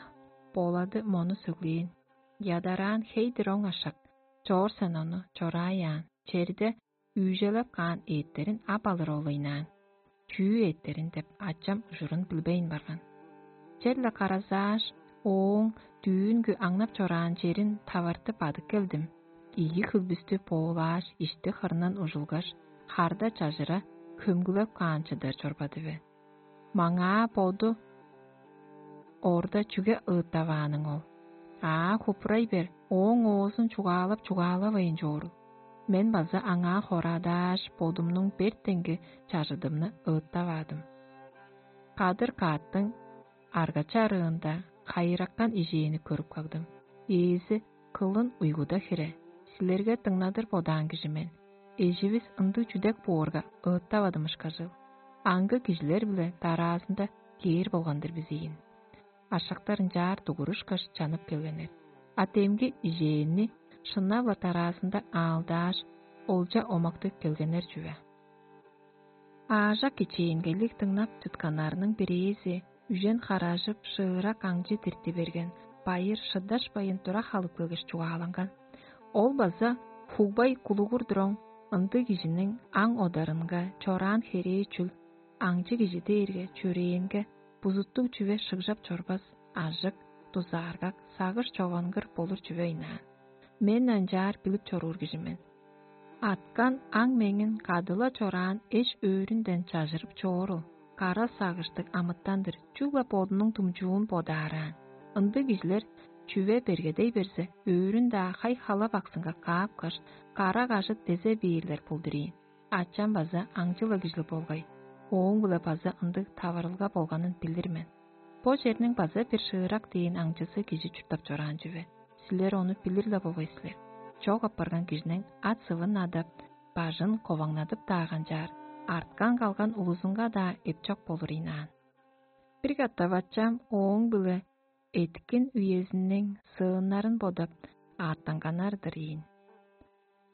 Болады мону сөглээн: «Ядараан хей-дир оң ашак, чоор сен ону, чораай аан, черде үүжелеп каан ээттерин ап алыр ол ыйнаан». «Чүү ээттерин?» — деп ачам ужурун билбейн барган. Черле каразааш, ооң дүүнгү аңнап чораан черин тавартып бадып келдим. Ийи хүлбүстү боолааш, ишти хырындан ужулгаш, харда чажыра хөмгүлеп каан чыдар чорбады бе? Маңаа боду орда чүге ыыттавааның ол? Аа, хупурай бер, ооң оозун чугаалап чугаалавайн чоорул. Мен база аңаа хорадааш, бодумнуң бертенги чажыдымны ыыттаваадым. Кадыр кааттың арга-чарыында хайыраккан ижээни көрүп кагдым. Ээзи кылын уйгуда хире, силерге дыңнадыр бодаан кижи мен. Эживис ындыг чүдек боорга ыыттавадым ышкажыл. Аңгы кижилер-биле дараазында кээр болган-дыр бис ийин. Ашактар ынчаар дугурушкаш чанып келгеннер. А демги ижээнни шынап-ла дараазында аалдааш, олча омактыг келгеннер чүве. Аажак кичээнгейлиг дыңнап чытканнарның бирээзи үжен харажып, шыырак аңчы дирти берген байыр шыдашпайн тура халып келгеш чугааланган. Ол база хугбай кулугур туруң ындыг кижиниң аң одарынга чораан херээ чүл, аңчы кижи дээрге чөрээнге бузуттуг чүве шыгжап чорбас, ажык, дузааргак, сагыш човангыр болур чүве ыйнаан. Мен ынчаар билип чоруур кижи мен. Аткан аң меңин кадыла чораан эш өөрүнден чажырып чоору, кара сагыштыг амытан-дыр, чүгле бодунуң думчуун бодаараан. Ындыг кижилер чүве бергедей берзе, өөрүн-даа хай-хала баксынга каапкаш, кара кажыт дезе бээрлер болдур ийин. Ачам база аңчы-ла кижил болгай, ооң-биле база ындыг таварылга болганын билир мен. Бо черниң база бир шыырак дээн аңчызы кижи чурттап чораан чүве. Силер ону билир-ле болгай силер. Чок апарган кижиниң ат-сывын адап, бажын коваңнадып-даа канчаар, арткан-калган улузунга-даа эпчок болур ийнаан. Бир катап ачам ооң-биле эткин үезиниң сыыннарын бодап, ааттанганнар-дыр ийин.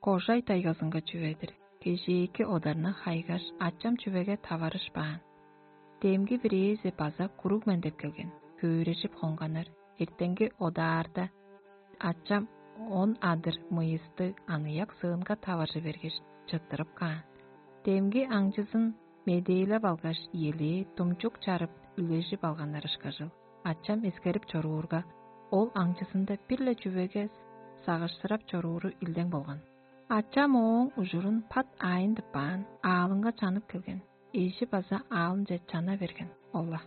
Кожай тайгазынга чүве-дир. Кежээки одарны хайгаш, ачам чүвеге таварышпаан. Демги бирээзи база куруг мен деп келген, хөөрежип хонганнар. Эртенги одаарда Ачам он адыр мыйысты аныяк сыынга таваржы бергеш, чыттырып каан. Демги аңчызын медээлеп алгаш, иелээ думчук чарып, үлежип алганнар ышкажыл. Ачам эскерип чоруурга, ол аңчызында бир-ле чүвеге сагышсырап чорууру илдең болган. Ачам ооң ужурун пат аайын тыппаан, аалынга чанып келген. Эжи база аалынче чана берген ол-ла.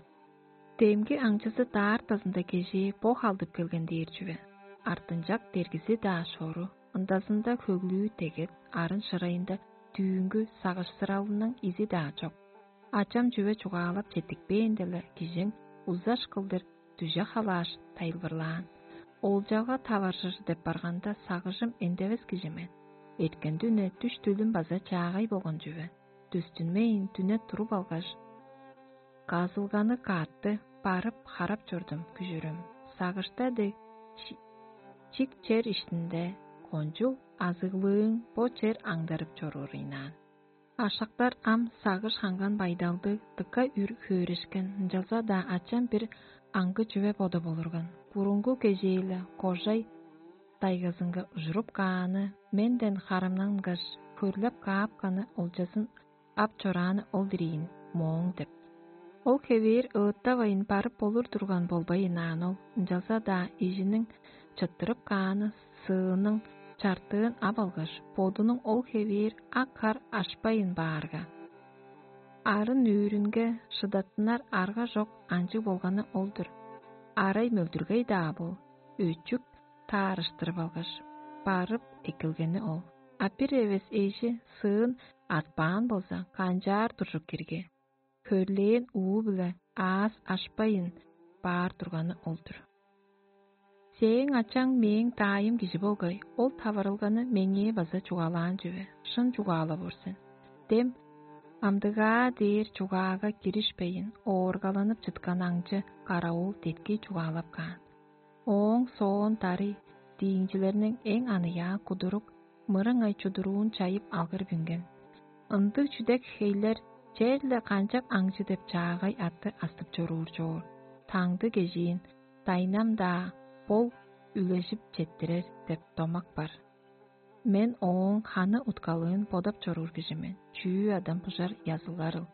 Демги аңчызы даартазында кежээ бо халдып келген дээр чүве. Артынчак дергизи-даа шору, ындазында хөглүү дегет, арын шырайында дүүнгү сагышсыралының изи-даа чок. Ачам чүве чугаалап четтикпээнде-ле, кижиң узаш кылдыр дүже халааш, тайылбырлаан. Олчалга таваржыр деп барганда, сагыжым эндевес кижи мен. Эрткен дүне дүш-түлүм база чаагай болган чүве. Дүстүнмейн дүне туруп алгаш, казылганы каатты, барып харап чордум күжүрүм. Сагышта дег чик чер иштинде кончуг азыглыың бо чер аңдарып чоруур ыйнаан. Ашактар ам сагыш ханган байдалдыг дыка үр хөөрешкен, ынчалза-даа ачам бир аңгы чүве бодап олурган. Бурунгу кежээ-ле кожай дайгазынга ужуруп кааны менден харамнангаш, хөрлеп каапканы олчазын ап чорааны ол-дир ийин, мооң деп. Ол хевээр ыыттавайн барып болур турган болбайн аан ол, ынчалза-даа эжиниң чыттырып кааны сыының чартыын ап алгаш, бодунуң ол хевээр ак хар ашпайын баарга. Арын өөрүнге шыдаттынар арга чок анчыг болганы ол-дур. Арай мөлдүргей-даа бол, өчүк таарыштырып алгаш, барып эккелгени ол. А бир эвес эжи сыын арткаан болза, канчаар туржук кирге, хөрлээн уу-биле аас ашпайын баар турганы ол-дур. Сээң ачаң мээң даайым кижи болгай, ол таварылганы меңээ база чугаалаан чүве, шын чугаалап ор сен. Дем амдыгаа дээр чугаага киришпейн, ооргаланып чыткан аңчы караул деткий чугаалап каан. Ооң соон дарый дииңчилерниң эң аныяа кудурук мырыңай чудуруун чайып алгыр бүнген. Ындыг чүдек хейлер черле канчап аңчы деп чаагай атты астып чоруур чоор. Таңды кежиин дайнам-даа бол үлежип четтирер деп домак бар. Мен ооң ханы уткалыын бодап чоруур кижи мен, чүү адам бужар языларыл.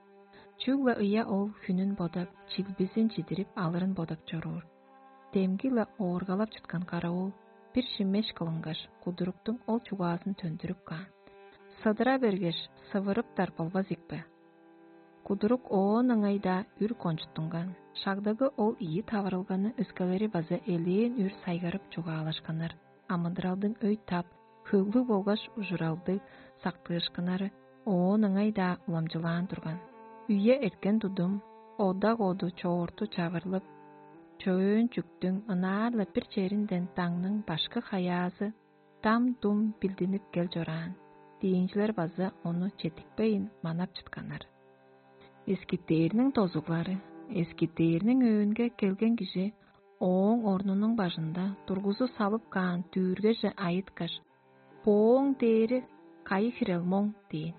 Чүгле ыя ол хүнүн бодап, чилбизин чидирип алырын бодап чоруур. Демги-ла ооргалап чыткан каравыл бир шиммеш кылынгаш, кудуруктуң ол чугаазын төндүрүп каан. Сыдыра бергеш, сывырыптар болбас ийикпе? Кудурук оон ыңай-даа үр кончуттунган. Шагдагы ол ийи таварылганы өскелери база элээн үр сайгарып чугаалашканнар. Амыдыралдың өй-тап, хөглүг болгаш ужуралдыг сактыышкыннары оон ыңай-даа уламчылаан турган. Үе эрткен тудум, одаг-оду чоорту чавырлып, чөөн чүктүң ынаар-ла бир черинден даңның башкы хаяазы дам-дум билдинип кел чораан. Диинчилер база ону четтикпейн манап чытканнар. Эскиттээрниң дозуглары. Эскиттээрниң өөнге келген кижи ооң орнунуң бажында тургузу салып каан дүүргеже айыткаш: «Бооң дээри кайы хирел моң?» – дээн.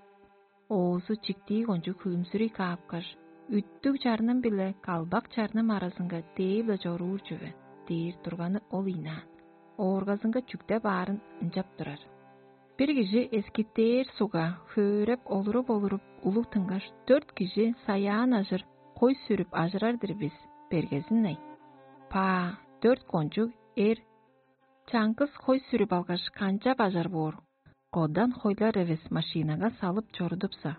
Оозу чиктии кончуг хүлүмзүрүй каапкаш: «Үттүг чарным-биле калбак чарным аразынга дээп-ле чоруур чүве» – дээр турганы ол ийнаан. Ооргазынга чүкте баарын ынчап турар. Бир кижи эскиттээр сугга хөөреп олуруп-олуруп улуг тынгаш, дөрт кижи саяан ажыр хой сүрүп ажырар-дыр бис, бергезин-ай. Паа, дөрт кончуг эр чаңгыс хой сүрүп алгаш, канчап ажар боор? Кодан хойлар эвес машинага салып чорудупса,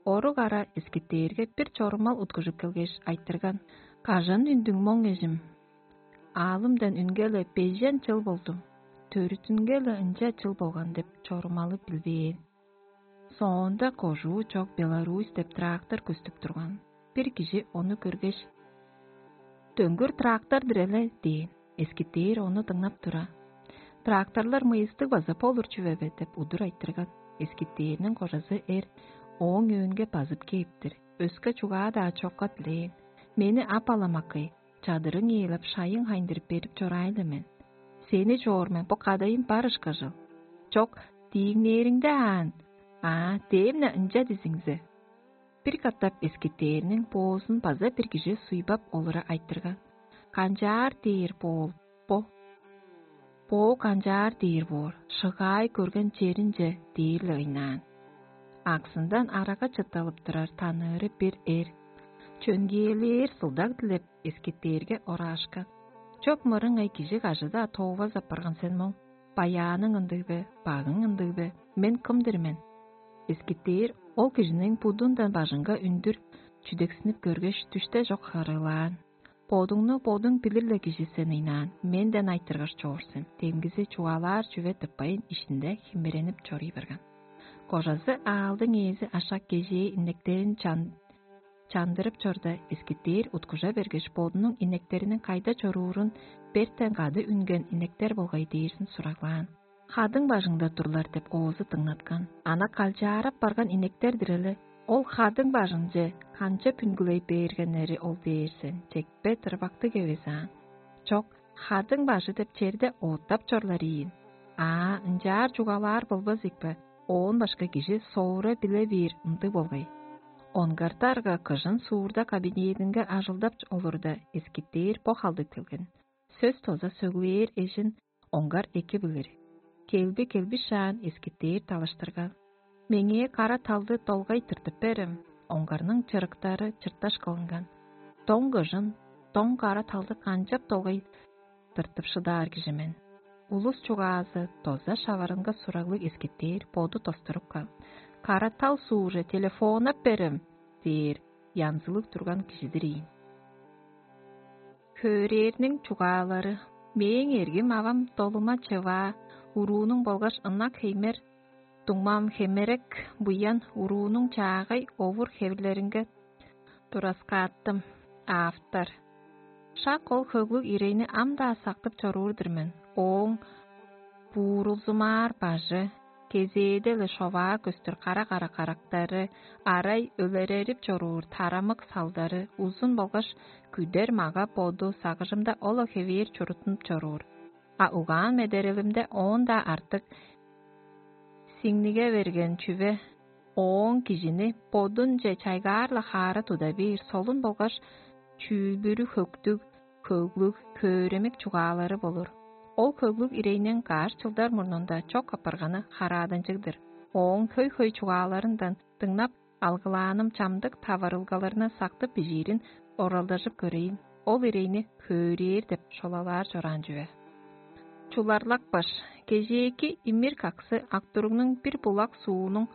орук ара эскиттээрге бир чорумал уткужуп келгеш, айтырган: «Кажан үндүң моң, эжим?» «Аалымдан үнгеле бежен чыл болду, төрүттүнгеле ынча чыл болган» – деп чорумалы билбээн. Соонда кожуу чок Беларусь деп трактор көстүп турган. Бир кижи ону көргеш: «Дөңгүр трактор-дур эле» – дээн. Эскиттээр ону дыңнап тура: «Тракторлар мыйыстыг база болур чүве бе?» – деп удур айтырган. Эскиттээрниң кожазы эр ооң өөнге базып кээптир. Өске чугаа-даа чокка дилээн: «Мени ап аламаккай, чадырың ээлеп, шайың хайындырып берип чораай-ла мен. Сени чоор мен, бо кадайым бар ышкажыл». «Чок, дииңнээриңде аан». «Аа, дээм-не ынча дизиңзе». Бир катап эскиттээрниң боозун база бир кижи суйбап олура айтырган: «Канчаар дээр боол бо?» Боо канчаар дээр боор, шыгаай көрген черинче дээрле ыйнаан. Аксындан арага чытталып турар таныыры бир эр чөңгээлээр сылдаг дилеп эскиттээрге ораашкан: «Чоп мырыңай кижи кажыда тоовас апарган сен моң? Баяаның ындыг бе, багың ындыг бе? Мен кым-дыр мен?» Эскиттээр ол кижиниң будундан бажыңга үндүр чүдексинип көргеш, дүште чок харыылаан: «Бодуңну бодуң билир-ле кижи сен ыйнаан, менден айтыргаш чоор сен». Демгизи чугаалаар чүве тыппайн иштинде химиренип чорый барган. Кожазы аалдың ээзи ашак кежээ иннектерин чан чандырып чорда, эскиттээр уткужа бергеш, бодунуң иннектериниң кайда чоруурун бертен кады үнген иннектер болгай дээрзин сураглаан. «Хадың бажыңда турлар» деп оозу дыңнаткан. Ана калчаарап барган иннектер-дир эле. Ол хадың бажыңче канчап үнгүлей бээргеннери ол дээрзин чекпе тырбактыг эвес аан. Чок, хадың бажы деп черде оттап чорлар ийин. Аа, ынчаар чугаалаар болбас ийикпе, оон башка кижи соора биле бээр ындыг болгай. Онгар дарга кыжын суурда кабинединге ажылдап олурда, эскиттээр бо халдыг келген. Сөс тоза сөглээр эжин оңгар эки билир. Келби келбишаан эскиттээр талаштырган: «Меңээ кара талды долгай тыртып берем». Оңгарның чырыктары чырташ кылынган. «Доң кыжын, доң кара талды канчап долгай тыртып шыдаар кижи мен?» Улус чугаазы доза шаварынга сураглыг эскиттээр боду достуруп каан: «Кара тал сууже телефоннап берем» – дээр янзылыг турган кижидир ийин. Хөөрээрниң чугаалары: «Мээң эргим авам долума чываа, уруунуң болгаш ынак хеймер дуңмам хемерек буян уруунуң чаагай овур-хевирлеринге тураскааттым». Автор. Шак ол хөглүг ирейни ам-даа сактып чоруур-дур мен. Ооң буурулзумаар бажы, кезээде-ле шоваа көстүр кара-кара карактары, арай өлерерип чоруур тарамык салдары, узун болгаш күдер мага-боду сагыжымда ол-ла хевээр чурттунуп чоруур. А угаан-медерелимде оон-даа артык сиңниге берген чүве ооң кижини бодунче чайгаар-ла хаара туда бээр солун болгаш чүүл-бүрү хөктүг, хөглүг, хөөремик чугаалары болур. Ол хөглүг ирейниң каш чылдар мурнунда чок апарганы харааданчыг-дыр. Ооң хөй-хөй чугааларындан дыңнап, алгылааным чамдык таварылгаларны сактып бижиирин оралдажып көрейн. Ол ирейни хөөрээр деп шолалаар чораан чүве. Чуларлак баш, кежээки имир каксы Актуругнуң бир булак суунуң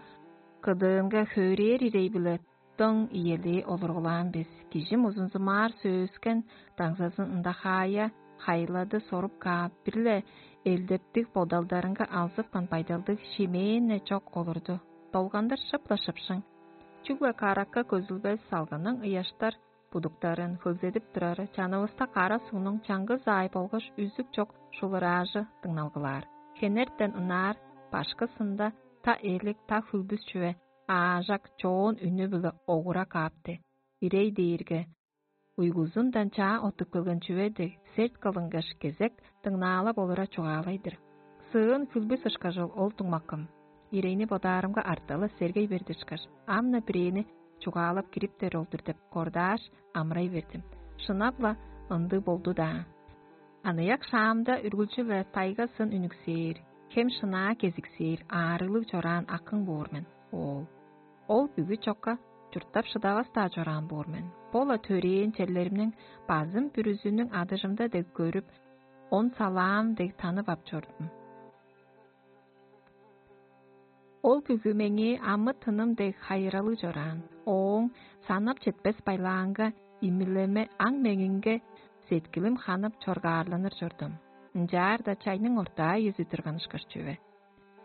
кыдыынга хөөрээр ирей-биле дың иелээ олургулаан бис. Кижим узунзумаар сөөскен даңзазын ындахаая хайылады соруп каап, бир-ле элдептиг бодалдарынга алзыпкан байдалдыг шимээн-не чок олурду. Долгандыр шып-ла шыпшың. Чүгле каракка көзүлбес салгының ыяштар будуктарын хөгзедип турары чанывыста кара сугнуң чаңгыс аай болгаш үзүк чок шулураажы дыңналгылаар. Хенертен ынаар башкысында та элик, та хүлбүс чүве аажак чоон үнү-биле огура каапты. Ирей дээрге уйгузундан чаа оттуп келген чүве дег, серт кылынгаш кезек дыңнаалап олура чугаалай-дыр. Сыын хүлбүс ышкажыл ол дуңмакым. Ирейни бодаарымга арталы сергей бердишкаш, ам-на бирээни чугаалап кириптер ол-дур деп кордааш, амырай бердим. Шынап-ла ындыг болду-даа. Аныяк шаамда үргүлчү-ле тайга сын үнүксээр, хем шынаа кезиксээр, аарыглыг чораан акың боор мен, оол. Ол бүгү чокка чурттап шыдавас-даа чораан боор мен. Бо-ла төрээн черлеримниң базым бүрүзүнүң адыжымда дег көрүп, он салаам дег танып ап чордум. Ол бүгү меңээ амы-тыным дег хайыралыг чораан. Ооң санап четпес байлаанга имилеме аң-меңинге сеткилим ханып чоргаарланыр чордум. Ынчаарда чайның ортаа үези турган ышкаш чүве.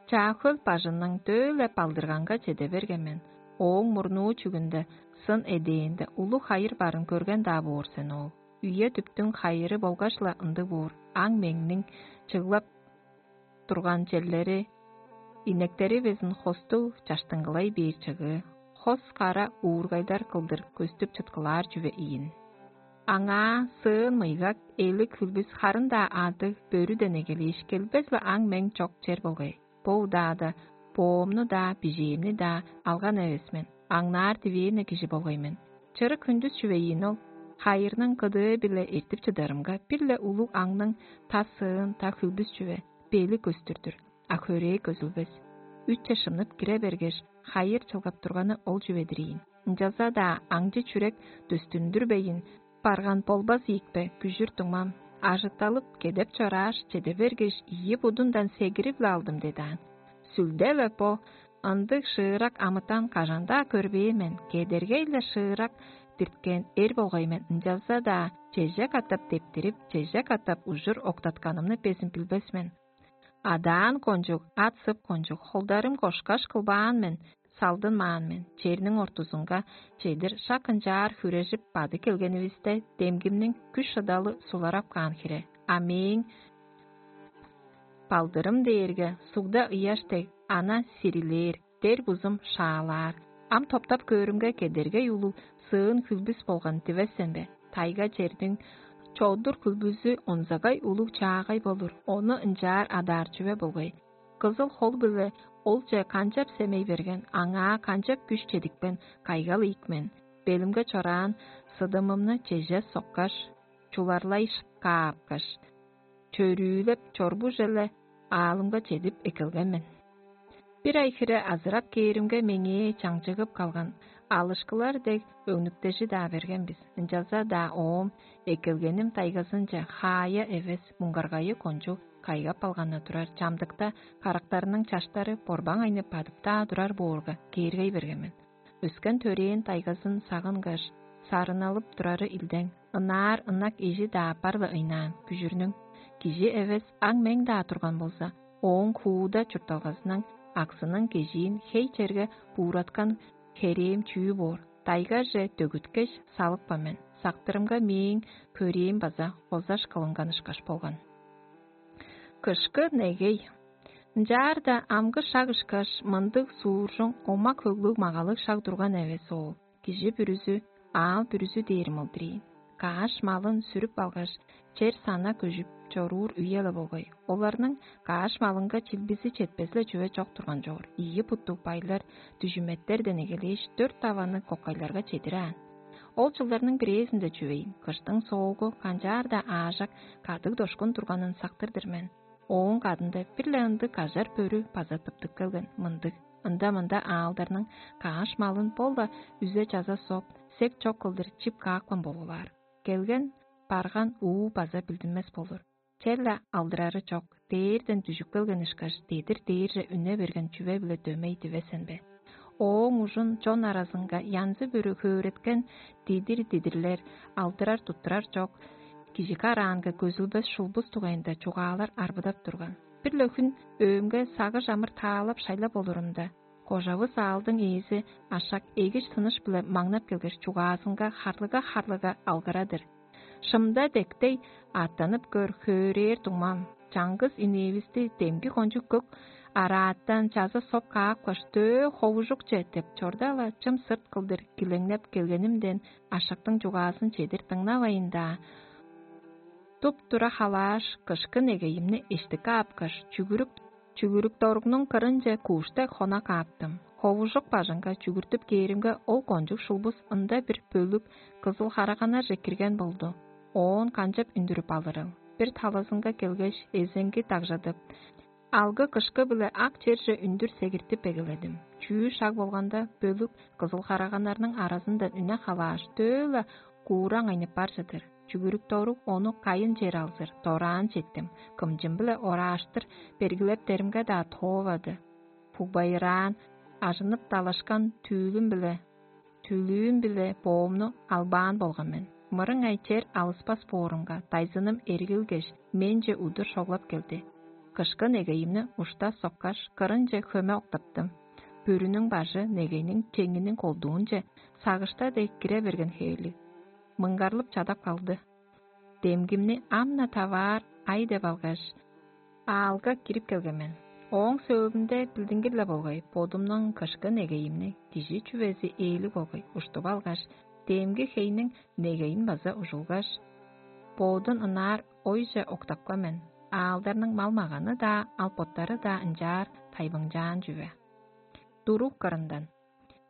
Чаа-Хөл бажының дөө-ле балдырганга чеде берген мен. Ооң мурнуу чүгүнде сын эдээнде улуг хайыр барын көрген-даа боор сен ол. Үе-дүптүң хайыры болгаш-ла ындыг боор, аң-меңниң чыглап турган черлери, инектеривезин хостуг чаштыңгылай бээр чыгыы, хос кара уургайдар кылдыр көстүп чыткылаар чүве ийин. Аңаа сыын мыйгак, элик хүлбүс харын-даа адыг бөрүден эгелээш келбес-ле аң-мең чок чер болгай. Бо удаада боомну-даа, бижээмни-даа алган эвес мен, аңнаар дивээн-не кижи болгай мен. Чырык хүндүс чүве ийин ол. Хайырның кыдыы-биле эртип чыдарымга, бир-ле улуг аңның та сыын, та хүлбүс чүве, бели көстүр-дүр, а хөрээ көзүлбес. Үтче шымнып кире бергеш, хайыр чылгап турганы ол чүве-дир ийин. Ынчалза-даа аңчы чүрек дөстүндүрбейн барган болбас ийикпе, күжүр дуңмам. Ажытталып, кедеп чорааш, чеде бергеш, ийи будундан сегирип-ле алдым дедаан. Сүлде-ле бо ындыг шыырак амытан кажан-даа көрбээн мен, кедергей-ле шыырак дирткен эр болгай мен, ынчалза-даа чеже катап дептирип, чеже катап ужур октатканымны безин билбес мен. Адаан кончуг, ат-сып кончуг, холдарым кошкаш кылбаан мен, салдынмаан мен. Черниң ортузунга чедир шак ынчаар хүрежип бады келгенивисте, демгимниң күш-шыдалы суларап каан хире. А мээң балдырым дээрге сугда ыяш дег ана сирилээр, дер бузум шаалаар. Ам топтап көөрүмге, кедергей улуг сыын хүлбүс болган дивес сен бе? Тайга черниң чодур хүлбүзү онзагай улуг чаагай болур, ону ынчаар адаар чүве болгай. Кызыл хол-биле олче канчап семей берген, аңаа канчап күш чедипкен кайгал ийик мен. Белимге чораан сыдымымны чеже соккаш, чуларлай каапкаш, чөрүүлеп чорбуже-ле аалымга чедип эккелген мен. Бир ай хире азырап кээримге, меңээ чаңчыгып калган алышкылар дег өңнүктежи-даа берген бис. Ынчалза-даа оом эккелгеним тайгазынче хаая эвес, муңгаргайы кончуг кайгап алганы турар, чамдыкта карактарының чаштары борбаң айнып бадып-даа турар боорга, кээргей берген мен. Өскен төрээн тайгазын сагынгаш, сарыналып турары илдең, ынаар ынак эжи-даа аппар-ла ыйнаан, күжүрнүң. Кижи эвес, аң мең-даа турган болза, ооң хууда чуртталгазының аксының кежиин хей черге буураткан херээм чүү боор? Дайгаже дөгүткеш, салыпкан мен. Сактырымга мээң көрээм база хозаш кылынган ышкаш болган. Кышкы негей. Ынчаарда амгы шак ышкаш, мындыг сууржуң, омак-хөглүг магалыг шак турган эвес ол. Кижи бүрүзү, аал бүрүзү дээри мылдырыйн. Кааш малын сүрүп алгаш, чер сана көжүп чоруур үе-ле болгай. Оларның кааш малынга чилбизи четпес-ле чүве чок турган чоор. Ийи буттуг байлар дүжүметтер денегелээш, дөрт даваны кокайларга чедираан. Ол чылдарның бирээзинде чүвейн, кыштың соогу канчаар-даа аажак кадыг-дошкун турганын сактыр-дыр мен. Ооң кадында бир-ле ындыг кажар бөрү база тыптып келген, мындыг: «Ында-мында аалдарның кааш малын бо-ла үзе-чаза соп, сек чок кылдыр чип каапкан болуглаар. Келген, барган уу база билдинмес болур. Черле алдырары чок, дээрден дүжүп келген ышкаш, дедир дээрже үне берген чүве-биле дөмей дивес сен бе?» Ооң ужун чон аразынга янзы-бүрү хөөреткен дидир-дидирлер, алдырар-туттурар чок, кижи караанга көзүлбес шулбус дугайында чугаалар арбыдап турган. Бир-ле хүн өөмге сагыш амыр таалап шайлап олурумда, кожавыс аалдың ээзи ашак эгиш тыныш-биле маңнап келгеш, чугаазынга харлыга-харлыга алгырадыр: «Шымда дектей аъттанып көр, хөөрээр дуңмам. Чаңгыс инээвисти демги кончуг көк арааттан чаза соп каапкаш, төө ховужукче» деп чорда-ла, чым сырт кылдыр килеңнеп келгенимден, ашактың чугаазын чедир дыңнавайн-даа, туп-тура халааш, кышкы негейимни эштикке апкаш, чүгүрүк чүгүрүк доругнуң кырынче куушта хона кааптым. Ховужук бажыңга чүгүртүп кээримге, ол кончуг шулбус ында бир бөлүк кызыл хараганнарже кирген болду. Оон канчап үндүрүп алырыл? Бир талазынга келгеш, эзеңги дагжадып, алгы-кышкы-биле ак черже үндүр сегиртип эгеледим. Чүү шаг болганда, бөлүк кызыл хараганнарның аразындан үне халааш, төө-ла куураң айнып бар чыдыр. Чүгүрүк доруг ону кайын чер алзыр, дораан четтим, кымчым-биле орааштыр бергилептеримге-даа тоовады. Бугбайыраан, ажынып далашкан түүлүм-биле, түүлүүм-биле боомну албаан болган мен. Мырыңай чер алыспас боорумга, дайзыным эргилгеш, менче удур шоглап келди. Кышкы негейимни ушта соккаш, кырынче хөме октаптым. Бүрүнүң бажы негейниң чеңиниң колдуунче сагышта дег кире берген хевирлиг. Мыңгарлып чадап калды. Демгимни ам-на таваар ай деп алгаш, аалга кирип келген мен. Ооң сөөлүнде билдингир-ле болгай, бодумнуң кышкы негейимни кижи чүвези ээлиг болгай уштуп алгаш, демги хейниң негейин база ужулгаш, бодун ынаар ойже октапкан мен. Аалдарның мал-маганы-даа, ал боттары-даа ынчаар тайбыңчаан чүве. Дуруг кырындан: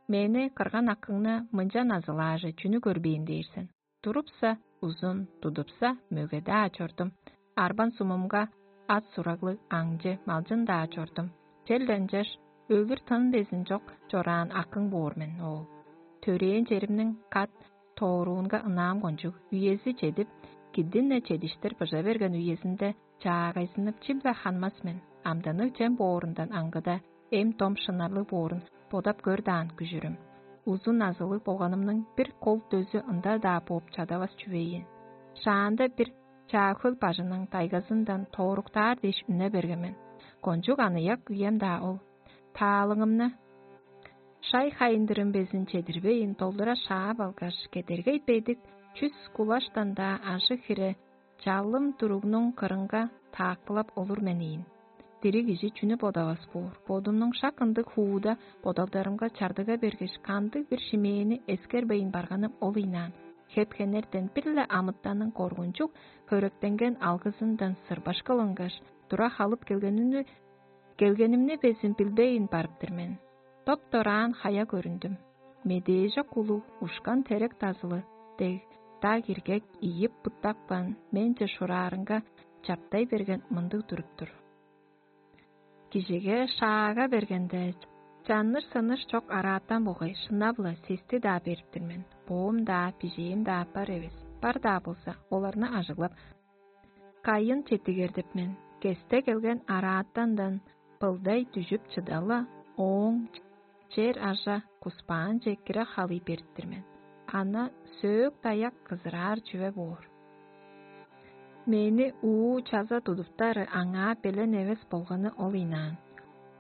«Мени кырган акыңны мынча назылааже чүнү көрбээн дээр сен? Турупса, узун, тудупса, мөге-даа чордум. Арбан сумумга ат сураглыг аңчы малчын-даа чордум. Чел ынчаш өлүр тын безин чок чораан акың боор мен, оол. Төрээн черимниң кат тооруунга ынаам кончуг, үези чедип, кидин-не чедиштир быжа берген үезинде чаагайзынып, чим-биле ханмас мен, амданныг чем боорундан аңгыда, эм-дом шынарлыг боорун бодап көр даан күжүрүм. Узун назылыг болганымның бир кол дөзү ында-даа бооп чадавас чүве ийин. Шаанда бир чаа хөл бажының тайгазындан тооруктаар дээш үне берген мен. Кончуг аныяк үем-даа ол. Таалыңымны шай хайындырым безин чедирбейн, долдура шаап алгаш, кедергей бедик чүс кулаштан-даа ажы-хире чалым туругнуң кырынга таакпылап олур мен ийин. Дириг кижи чүнү бодавас боор? Бодумнуң шак ындыг хууда бодалдарымга чардыга бергеш, кандыг-бир шимээни эскербейн барганым ол ыйнаан. Хеп-хенертен бир-ле амытанның коргунчуг хөректенген алгызындан сырбаш кылынгаш, тура халып келгенини келгенимни безин билбейн барып-тыр мен. Доп-дораан хая көрүндүм. Медээжок улуг ушкан терек дазылы дег, даг иргек ийип-буттапкан менче шураарынга чаптай берген мындыг туруп-тур. Кижиге шаага бергенде, чанныр-сыныш чок араатан болгай шынап-ла сести-даа берип-тир мен, боом-даа, бижээм-даа бар эвес, бар-даа болза, оларны ажыглап, кайын четтигердип мен, кесте келген араатандан былдай дүжүп чыда-ла, ооң чер ажа куспаанче кире халый берип-тир мен. Ана сөөк-даяк кызыраар чүве боор. Мени уу чаза тудуптары аңаа белен эвес болганы ол ыйнаан.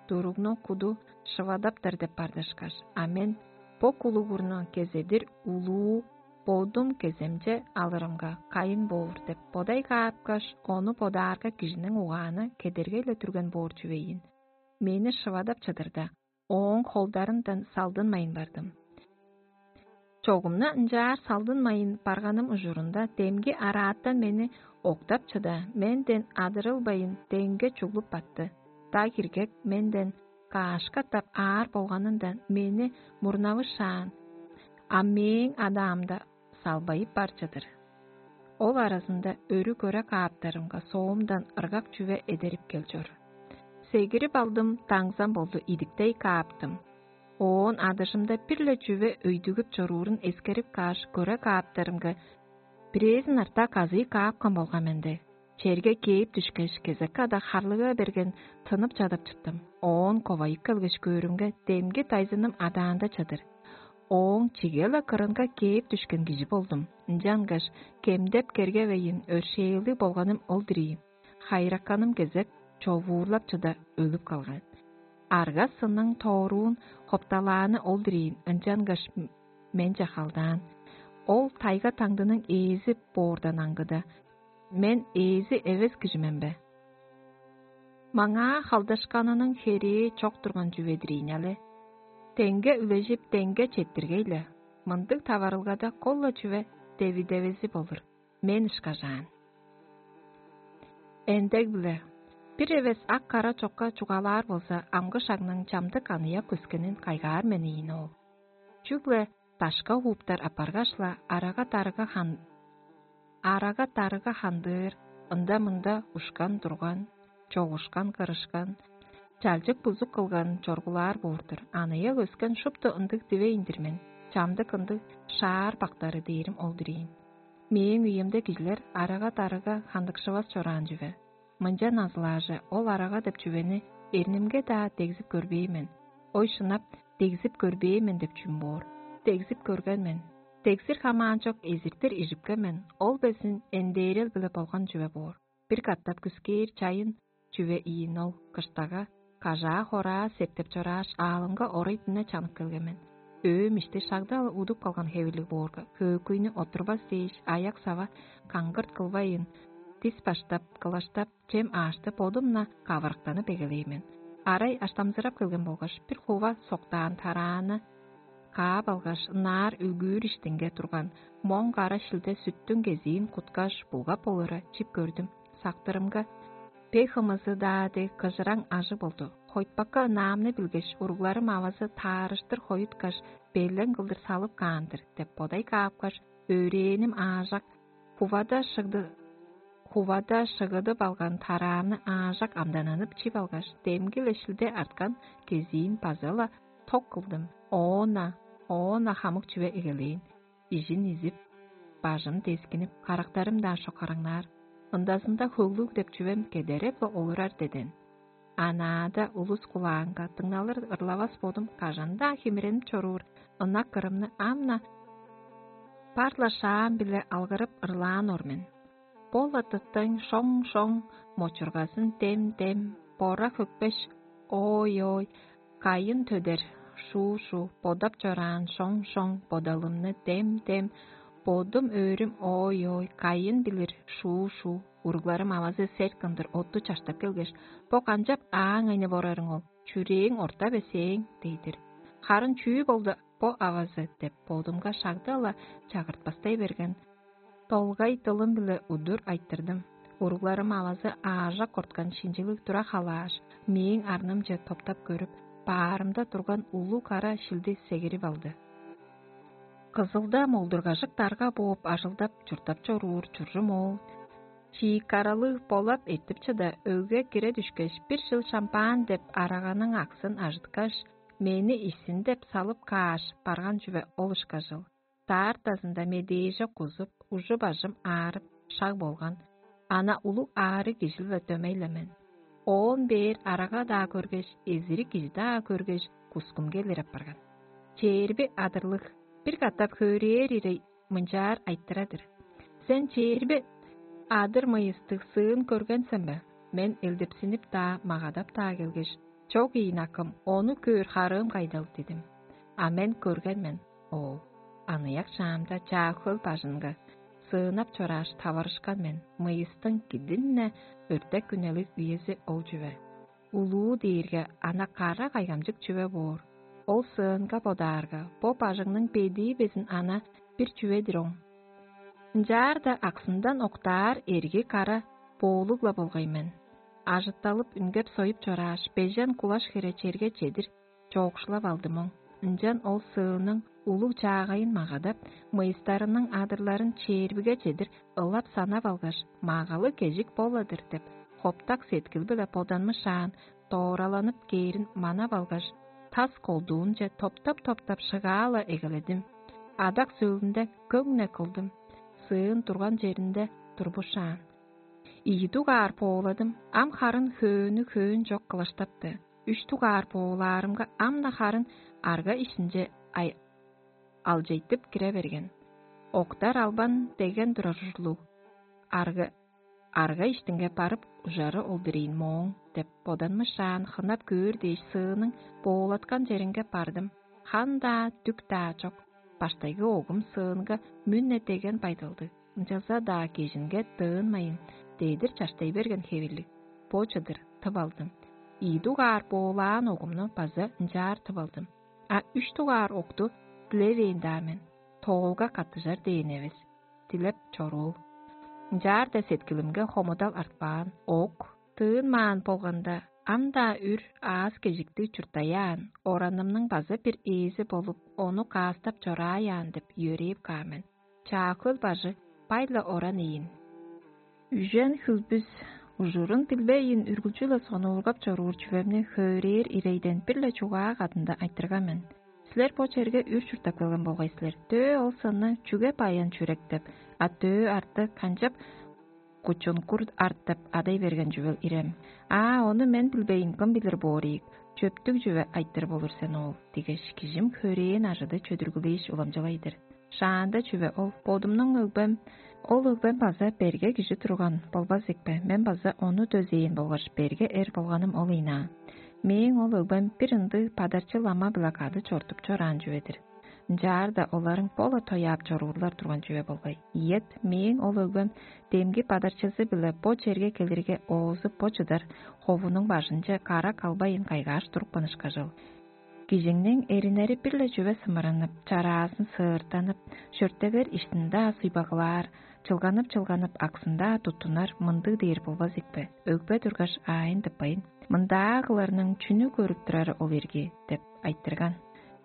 Туругну куду шывадаптар деп бардышкаш, а мен бо кулугурну кезедир улуу бодум кеземче алырымга кайын боор деп бодай каапкаш, ону бодаарга кижиниң угааны кедергей-ле түрген боор чүвейин. Мени шывадап чыдырда, ооң холдарындан салдынмайн бардым. Чогумна ынчаар салдынмайн барганым ужурунда демги араатан мени октап чыда, менден адырылбайн деңге чуглуп батты. Даг иргек менден каашка тап аар болганындан мени мурнавышаан, а мээң адаамда салбайып бар чыдыр. Ол аразында өрү көре кааптарымга соомдан ыргак чүве эдерип кел чор. Сегирип алдым, даңзам болду, идиктей кааптым. Оон адыжымда бир-ле чүве өйдүгүп чоруурун эскерип кааш, көре кааптарымга бирээзин артаа казыый каапкан болган мен дег. Черге кээп дүшкеш, кезек када харлыга берген тынып чадап чыттым. Оон ковайып келгеш көөрүмге, демги дайзыным адаанда чадыр. Ооң чиге-ла кырынга кээп дүшкен кижи болдум. Ынчангаш кемдеп кергевейн, өршээлдиг болганым ол-дур ийин. Хайыраканым кезек човуурлап чыда өлүп калган. Арга-сынның тооруун хопталааны ол-дур ийин, ынчангаш менче халдаан. Ол тайга-таңдының ээзи боордан аңгыда, мен ээзи эвес кижи мен бе? Маңаа халдашканының херээ чок турган чүве-дир ийин але. Деңге үлежип, деңге четтиргей-ле. Мындыг таварылгада кол-ла чүве девидевези болур, мен ышкажаан. Эндег-биле, бир эвес ак-кара чокка чугаалаар болза, амгы шагның чамдык аныяк өскенин кайгаар мен ийин ол. Чүгле дашка хууптар апаргаш-ла, арага-дарыга хан арага-дарыга хандыыр, ында-мында ушкан-турган, чогушкан-кырышкан, чалчык-бузук кылган чоргулаар боор-дур. Аныяк өскен шупту ындыг дивейн-дир мен, чамдык ындыг шаар бактары дээрим ол-дур ийин. Мээң үемде кижилер арага-дарыга хандыкшывас чораан чүве. Мынча назылаажы ол арага деп чүвени эрнимге-даа дегзип көрбээн мен. Ой шынап, дегзип көрбээн мен деп чүм боор? Дегзип көрген мен. Дегзир хамаанчок эзиртир ижипкен мен, ол безин эндээрел-биле болган чүве боор. Бир катап күскээр чайын чүве ийин ол, кыштага, кажаа-хораа септеп чорааш, аалымга орай-дүне чанып келген мен. Өөм ишти шагда-ла удуп калган хевирлиг боорга, хөөкүйнү оттурбас дээш, аяк-сава каңгырт кылбайын, дис баштап, кылаштап, чем аашты бодум-на кавырыктанып эгелээн мен. Арай аштамзырап келген болгаш, бир хува соктаан тарааны каап алгаш, ынаар үлгүүр иштинге турган моң кара шилде сүттүң кезиин куткаш, булгап олура чип көрдүм. Сактырымга, бе хымызы-даа дег кыжыраң ажы болду. хойтпакка ынаамны билгеш, уругларым авазы таарыштыр хоюткаш, белен кылдыр салып каан-дыр деп бодай каапкаш, өөрээниң аажак, хувада шыгды, хувада шыгыдып алган тараамны аажак амдананып чип алгаш, демги-ле шилде арткан кезиин база-ла ток кылдым. Оона, оона хамык чүве эгелээн. Ижин изип, бажым дескинип, карактарым-даа шокараңнаар. Ындазында хөглүг деп чүвем кедереп-ла олурар деден. Анаада улус кулаанга дыңналыр ырлавас бодум кажан-даа химиренип чоруур ынак кырымны ам-на бар-ла шаам-биле алгырып ырлаан ор мен. Бо-ла тыттың шоң-шоң, мочургазын дем-дем, бора хөкпеш, ой-ой, кайын төдер, шуу-шуу, бодап чораан шоң-шоң, бодалымны дем-дем, бодум өөрүм ой-ой, кайын билир, шуу-шуу, уругларым авазы сел кындыр отту чаштап келгеш, бо канчап ааң айны борарың ол, чүрээң орта бе сээң, дей-дир. Харын чүү болду бо авазы деп бодумга шагда-ла чагыртпастай берген. Долгай дылым-биле удур айтырдым. Уругларым авазы аажак корткан шинчилиг тура халааш, мээң арнымче топтап көрүп, баарымда турган улуу кара шилди сегирип алды. Кызылда молдургажык дарга бооп ажылдап чурттап чоруур чуржум оол чиик каралыг болап эртип чыда, өгге кире дүшкеш, бир чыл шампан деп араганың аксын ажыткаш, мени ишсин деп салып кааш барган чүве ол ышкажыл. Даартазында медээже кузуп, ужу-бажым аарып, шаг болган. Ана улуг аарыг кижи-биле дөмей-ле мен. Оон бээр арага-даа көргеш, эзирик кижи-даа көргеш, кускум келир апарган. Чээрби адырлыг бир катап хөөрээр ирей мынчаар айтырар-дыр: «Сен чээрби адыр мыйыстыг сыын көрген сен бе?» Мен элдепсинип-даа, магадап-даа келгеш: «Чок ийин, акым, ону көөр харыым кайдал?» — дидим. А мен көрген мен, оол. Аныяк шаамда Чаа-Хөл бажынга сыынап чорааш, таварышкан мен, мыйыстың кидин-не өртек үнелиг үези ол чүве. Улуу дээрге ана кара кайгамчык чүве боор. Ол сыынга бодаарга, бо бажыңның бедии безин ана бир чүве-дир оң. Ынчаарда аксындан октаар эрги кара боолуг-ла болгай мен. Ажытталып үнгеп-союп чорааш, бежен кулаш хире черге чедир чоокшулап алдым оң. Ынчан ол сыының улуг чаагайын магадап, мыйыстарының адырларын чээрбиге чедир ылап санап алгаш, магалы кежик бола-дыр деп, хоптак сеткил-биле боданмышаан, доораланып кээрин манап алгаш, тас колдуунче топтап-топтап шыгаа-ла эгеледим. Адак сөөлүнде көң-не кылдым. Сыын турган черинде турбушаан. Ийи дугаар бооладым, ам харын хөөнү хөөн чок кылаштапты. Үш дугаар боолаарымга ам-на харын арга ишинче ай алчайтып кире берген. Октар албан деген турар ужурлуг. Арга арга иштинге барып ужары ол-дур ийин мооң деп боданмышаан хынап көөр дээш сыының боолаткан черинге бардым. Хан-даа, дүк-даа чок. Баштайгы огум сыынга мүн-не деген байдалдыг, ынчалза-даа кежинге дыынмайын, дедир чаштай берген хевирлиг. Бо чыдыр тып алдым. Ийи дугаар боолаан огумну база ынчаар тып алдым. А үш дугаар окту дилевээн-даа мен, тоолга каттыжар дээн эвес. Дилеп чоруур. Ынчаарда сеткилимге хомудал артпаан, ок, тыынмаан болганда, ам-даа үр аас-кежиктиг чурттаяан, оранымның база бир ээзи болуп, ону каастап чорааяан деп йөрээп каан мен. Чаа-Хөл бажы бай-ла оран ийин. Үжен хүлбүс ужурун билбейн үргүлчү-ле сонуургап чоруур чүвемни хөөрээр ирейден бир-ле чугаа кадында айтырган мен. Силер бо черге үр чурттап келген болгай силер. Дөө ол сынны чүге баян чүрек деп, а дөө арты канчап кучункур арт деп адай берген чүвел ирем. А ону мен билбейн, кым билир боор ийик, чөптүг чүве айтыр болур сен ол, дигеш, кижим хөрээн ажыды чөдүргүлээш уламчылай-дыр. Шаанда чүве ол, бодумнуң өгбем, ол өгбем база берге кижи турган болбас ийикпе, мен база ону дөзээн болгаш берге эр болганым ол ийнаа. Мээң ол өгбем бир ындыг падарчы лама-биле кады чортуп чораан чүве-дир. Ынчаарда оларың бо-ла тояап чоруурлар турган чүве болгай. Ийет, мээң ол өгбем демги падарчызы-биле бо черге келирге оозу бо чыдар ховунуң бажынче кара калбайын кайгааш турупкан ышкажыл. Кижиңниң эриннери бир-ле чүве сымыранып, чараазын сыыртанып, шөрттегер иштин-даа суйбагылаар, чылганып-чылганып, аксын-даа туттунар мындыг дээр болбас ийикпе? Өгбе тургаш, аайын тыппайн, «Мындаа кыларның чүнү көрүп турары ол ирги?» – деп айтырган.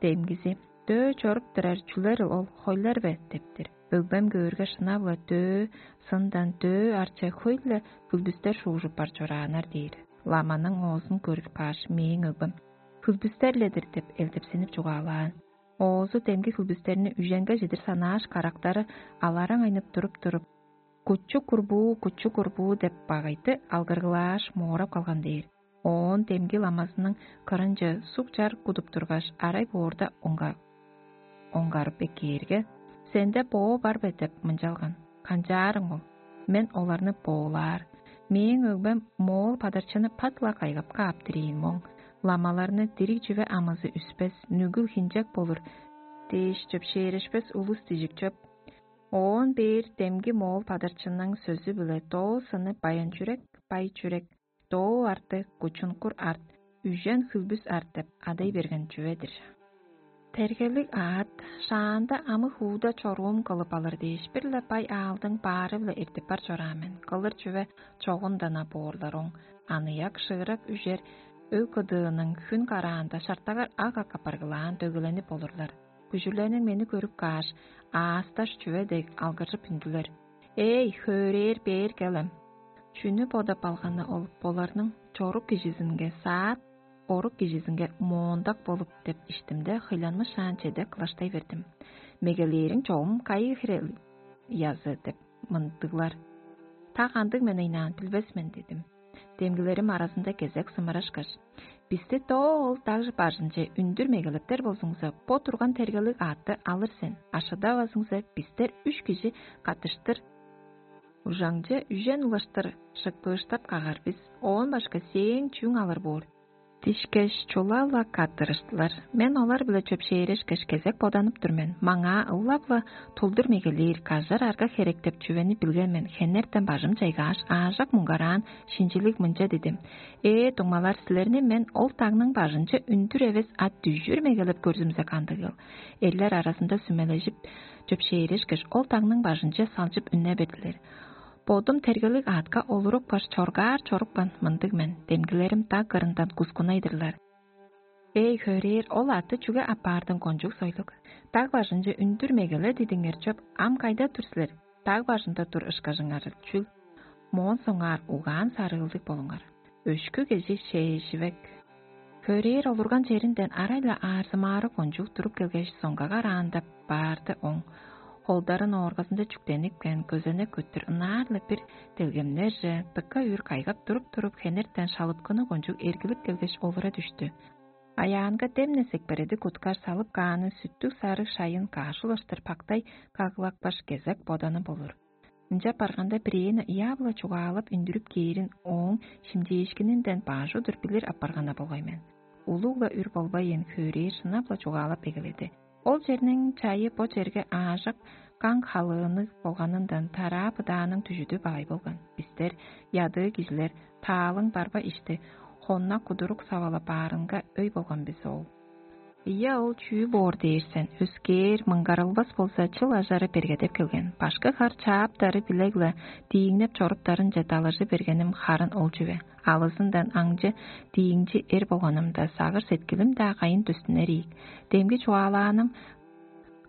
Демгизи: «Дөө чоруп турар чүлерил ол, хойлар бе?» – дептир. Өгбем көөрге, шынап-ла дөө сындан дөө арча хөй-ле хүлбүстер шуужуп бар чорааннар дээр. Ламаның оозун көрүп кааш, мээң өгбем: «Хүлбүстер-ле-дир» – деп элдепсенип чугаалаан. Оозу демги хүлбүстерни үженге чедир санааш, карактары алараң айнып туруп-туруп: «Кучук курбуу, кучук курбуу» – деп багайды алгыргылааш, моорап калган дээр. Оон демги ламазының кырынче суг-чар кудуп тургаш, арай боорда онга оңгарып эккээрге: «Сенде боо бар бе?» – деп мынчалган. «Канчаарың ол? Мен оларны боолаар. Мээң өгбем моол падарчыны пат-ла кайгап кааптыр ийин моң. Ламаларны дириг чүве амызы үспес, нүгүл хинчек болур дээш, чөпшээрешпес улус дижик чоп». Оон бээр демги моол падарчының сөзү-биле доо сыны баян чүрек, бай чүрек, доо арты кучункур арт, үжен хүлбүс арт деп адай берген чүве-дир. Тергелиг аът шаанда амы-хууда чоруум кылып алыр дээш, бир-ле бай аалдың баары-биле эртип бар чораан мен. Кылыр чүве чогундан-на боорлар оң. Аныяк шыырак үжер өг кыдыының хүн караанда шартагар ак-ак апаргылаан дөгеленип олурлар. Күжүрлерниң мени көрүп кааш, аасташ чүве дег алгыржып үндүлер: «Эй, хөөрээр бээр келем!» Чүнү бодап алганы ол боларның чорук кижизинге саат, орук кижизинге моондак болуп деп иштимде, хыйланмышаан чеде кылаштай бердим. «Мегелээриң чогум кайы хире ыязы?» – деп мындыглар. «Та кандыг мен ыйнаан, билбес мен» – дидим. Демгилерим аразында кезек сымырашкаш: «Бисти доо ол даг бажынче үндүр мегелептер болзуңза, бо турган тергелиг аътты алыр сен, а шыдавазыңза, бистер үш кижи каттыштыр ужаңче үжен улаштыр шыпкыыштап кагар бис, оон башка сээң чүүң алыр боор» дишкеш, чула-ла каттырыштылар. Мен олар-биле чөпшээрешкеш, кезек боданып тур мен. Маңаа ылап-ла тулдур мегелээр, кажар арга херек деп чүвени билген мен. Хенертен бажым чайгааш, аажок муңгараан, шинчилиг мынча дидим: «Ээ, дуңмалар, силерни мен ол дагның бажынче үндүр эвес, а дүжүр мегелеп көрзүмзе кандыгыл?» Эрлер аразында сүмележип, чөпшээрешкеш, ол дагның бажынче салчып үнне бердилер. Бодум тергелиг аътка олурупкаш, чоргаар чорупкан мындыг мен. Демгилерим даг кырындан кускунай-дырлар: «Эй, хөөрээр, ол аътты чүге аппаардың, кончуг сойлуг? Даг бажынче үндүр мегеле дидиңер чоп, ам кайда тур силер? Даг бажында тур ышкажыңарыл чүл? Моон соңгаар угаан-сарыылдыг болуңар. Өшкү кижи шээживек». Хөөрээр олурган черинден арай-ла аарзымаары кончуг туруп келгеш, соңгага араанда баарды оң. Холдарын ооргазында чүктенипкен, көзенек көттүр ынаар-ла бир делгемнерже, дыка үр кайгап туруп-туруп, хенертен шалыпкыны кончуг эргилип келгеш, олура дүштү. Аяанга демне сепкередип куткаш, салып кааны сүттүг-сарыг шайын каш улаштыр пактай кагылапкаш, кезек боданы болур. Ынчап барганда, бирээни ыяап-ла чугаалап үндүрүп кээрин ооң шимчээшкининден баш удур билир апарган-на болгай мен. Улуг-ла үр болбайн, хөөрээр шынап-ла чугаалап эгеледи. Ол черниң чайы бо черге аажок каң халыынныг болганындан тараа-быдааның дүжүдү багай болган. Бистер, ядыы кижилер, таалың барба ишти хонна кудурук савалап баарынга өй болган бис ол. Ийе, ол чүү боор дээр сен, өскээр, мыңгарылбас болза, чыл ажары бергедеп келген. Башкы хар чааптары билег-ла дииңнеп чоруптарынче далажы бергеним харын ол чүве. Алызындан аңчы дииңчи эр болганымда, сагыш-сеткилим-даа кайын дөстүнер ийик. Демги чугаалааным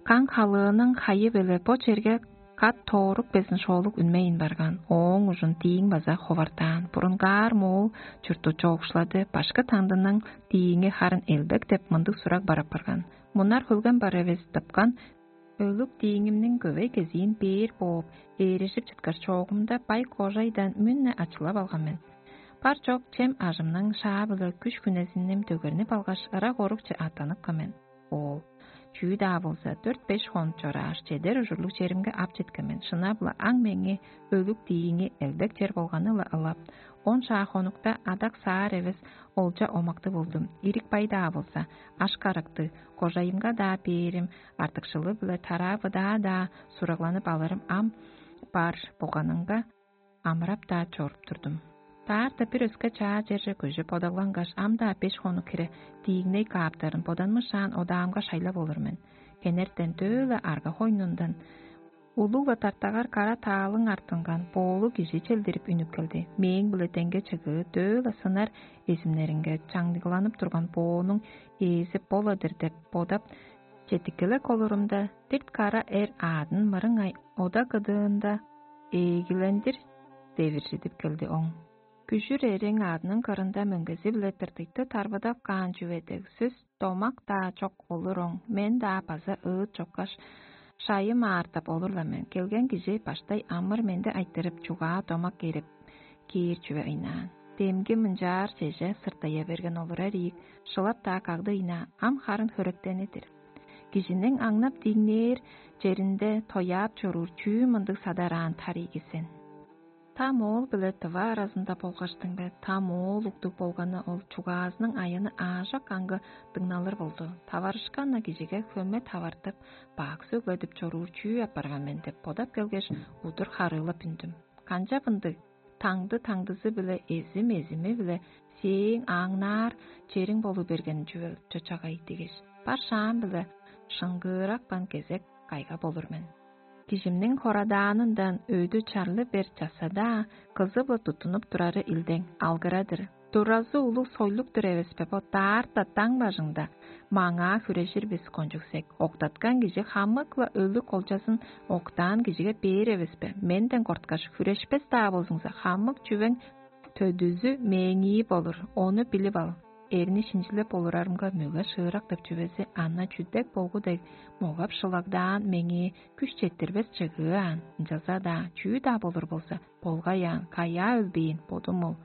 каң халыының хайы-биле бо черге кат тоорук безин шоолуг үнмейн барган. Ооң ужун дииң база ховардаан. Бурунгаар моол чуртту чоокшулады, башкы таңдының дииңи харын элбек деп мындыг сураг бар апарган: «Мунар хөлген бар эвес, тыпкан өлүк дииңимниң көвей кезиин бээр бооп, ээрежип чыткаш, чоогумда бай кожайдан мүн-не ачылап алган мен. Бар чок чем ажымның шаа-биле күш-хүнезиним дөгернип алгаш, ырак орукче аттаныпкан мен». Оол: «Чүү-даа болза, дөрт-беш хонук чорааш, чедер ужурлуг черимге ап четкен мен. Шынап-ла, аң меңээ өлүк дииңи элбек чер болганы-ла ылап. Он шаа хонукта адак-саар эвес, олча омактыг болдум. Ирик-бай-даа болза, аш-карактыг, кожайымга-даа бээрим артыкшылы-биле тараа-быдаа-даа сурагланып алырым ам бар болганынга, амырап-даа чоруп турдум. Даарда бир өске чаа черже көжүп, бодаглангаш, ам-даа беш хонук хире дииңней кааптарын боданмышаан одаамга шайлап олур мен. Хенертен дөө-ле арга хойнундан Улуг-ла тартагар кара таалың артынган боолуг кижи челдирип үнүп келди. Мээң-биле деңге чыгыы дөө-ла сынар эзимнеринге чаңныгланып турган боонуң ээзи бола-дыр деп бодап, четтиккелек олурумда, дирт кара эр аадын мырыңай ода кыдыында ээлгилендир девиржидип келди оң. Күжүр эриң аадының кырында мөңгези-биле тыртыйты тарбыдап каан чүве дег сөс домак-даа чок олур оң, мен-даа база ыыт чоккаш, шайым аартап олур-ла мен. Келген кижи баштай амыр-менди айтырып, чугаа домак кээрип кээр чүве ыйнаан. Демги мынчаар чеже сыртая берген олурар ийик, шылап-даа кагды ыйнаан, ам харын хөректени-дир. Кижиниң аңнап диңнээр черинде тояап чоруур чүү мындыг садараан тарыйгы сен. Та моол биле тыва аразында болгаштың бе, та моол уктуг болганы ол чугаазының айыны аажок аңгы дыңналыр болду. Таварышкан-на кижиге хөме тавартып, бак сөгледип чоруур чүү апарган мен деп бодап келгеш, удур харыылап үндүм. Канчап ындыг? Таңды таңдызы-биле эзим эзими-биле сээң аңнаар чериң болу берген чүве чочагай дигеш, бар шаам-биле шыңгыырапкан кезек кайга болур мен. Кижимниң хорадаанындан өдү чарлы бер часса-даа, кызы-биле туттунуп турары илдең алгырадыр. Туразы улуг сойлук-тур эвеспе бо даарта даң бажыңда? Маңаа хүрежир бис кончуг сек. Октаткан кижи хамык-ла өлүг олчазын октаан кижиге бээр эвеспе? Менден корткаш, хүрешпес-даа болзуңза, хамык чүвең төдүзү мээңии болур, ону билип ал. Эрни шинчилеп олурарымга мөге шыырак деп чүвези ана чүдек болгу дег могап шылагдаан меңээ күш четтирбес чыгыы аан, ынчалза-даа чүү-даа болур болза, болгай аан, каяа өлбээн бодум ол.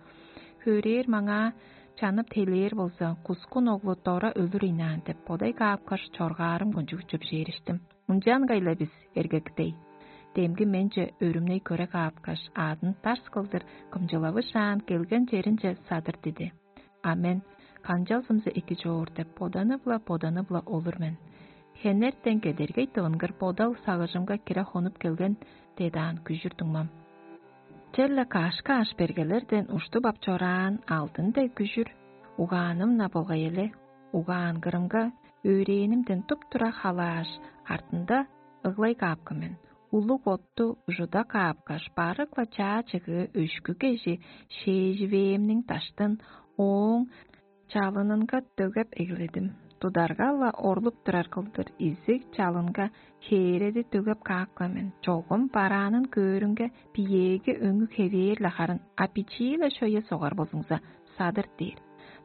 Хөөрээр маңаа чанып телээр болза, кускун оглу дора өлүр ыйнаан деп бодай каапкаш, чоргаарым кончуг чөпшээриштим. Ынчаан кайла бис, эргектей? Демги менче өрүмней көре каапкаш, аадын тарс кылдыр кымчылавышаан келген черинче садыр диди. А мен канчалзымза эки чоор деп боданып-ла, боданып-ла олур мен. Хенертен кедергей тывынгыр бодал сагыжымга кире хонуп келген дедаан күжүр дуңмам. Черле кашка аш бергелерден уштуп ап чораан алдын дег күжүр угааным-на болгай эле, угаан кырымга өөрээнимден туп-тура халааш, артында ыглай каапкан мен. Улуг отту ужуда каапкаш, барык-ла чаа чыгыы өшкү кежи шээживээмниң даштын ооң чалынынга дөгеп эгеледим. Тударга-ла орлуп турар кылдыр изиг чалынга хээреди дөгеп каапкан мен. Чогум бараанын көөрүнге биеэги өңү хевээр-ле харын, а бичии-ле шөйе согар болзуңза, садыр дээр.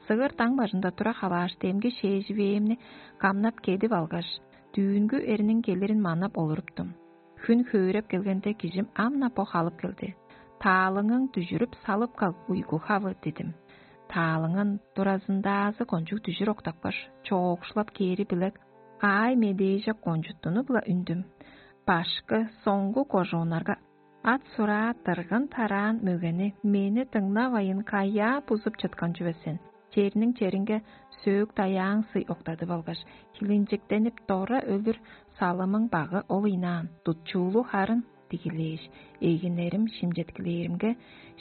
Сыгыр даң бажында тура халааш, демги шээживээмни камнап кедип алгаш, дүүнгү эрниң келирин манап олуруптум. Хүн хөөреп келгенде, кижим ам-на бо халып келди. «Таалыңың дүжүрүп салып каг, уйгу хавы» – дидим. Таалыңын туразындаазы кончуг дүжүр октапкаш, чоокшулап кээри билек аай медээже кончуттунуп-ла үндүм. Башкы, соңгу кожууннарга ат сураа дыргын тараан мөгени мени дыңнавайн, каяа бузуп чыткан чүве сен? Черниң черинге сөөк даяаң сый октадып алгаш, хилинчектенип, дора өлүр салымың багы ол ыйнаан, дутчуулу харын дигилээш, эгинерим шимчеткилээримге,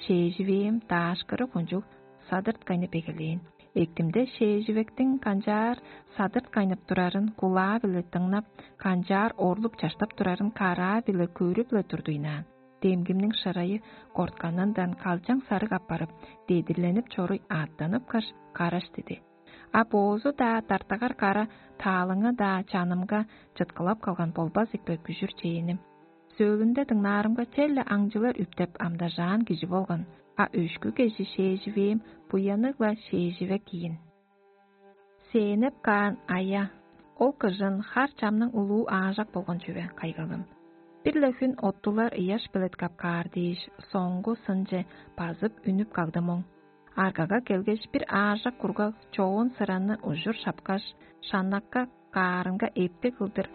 шээживээм даашкыры кончуг садырткайнып эгелээн. Эктимде шээживектиң канчаар садырткайнып турарын кулаа-биле дыңнап, канчаар орлуп-чаштап турарын караа-биле көрүп-ле турду ыйнаан. Демгимниң шырайы кортканындан калчаң сарыг апарып, дедирленип чоруй ааттаныпкаш, караш диди. А боозу-даа, тартыгар кара таалыңы-даа чанымга чыткылап калган болбас ийикпе, күжүр чээним? Сөөлүнде дыңнаарымга, черле аңчылар үптеп амдажаан кижи болган, а өшкү кежи шээживээм буянныг-ла шээживек ийин. Сээнип каан ая, ол кыжын хар чамның улуу аажак болган чүве, кайгалым. Бир-ле хүн оттулар ыяш белеткеп каар дээш, соңгу сынче базып үнүп кагдым оң. Аргага келгеш, бир аажак кургаг чоон сыраны ужур шапкаш, шаннакка каарынга эптиг кылдыр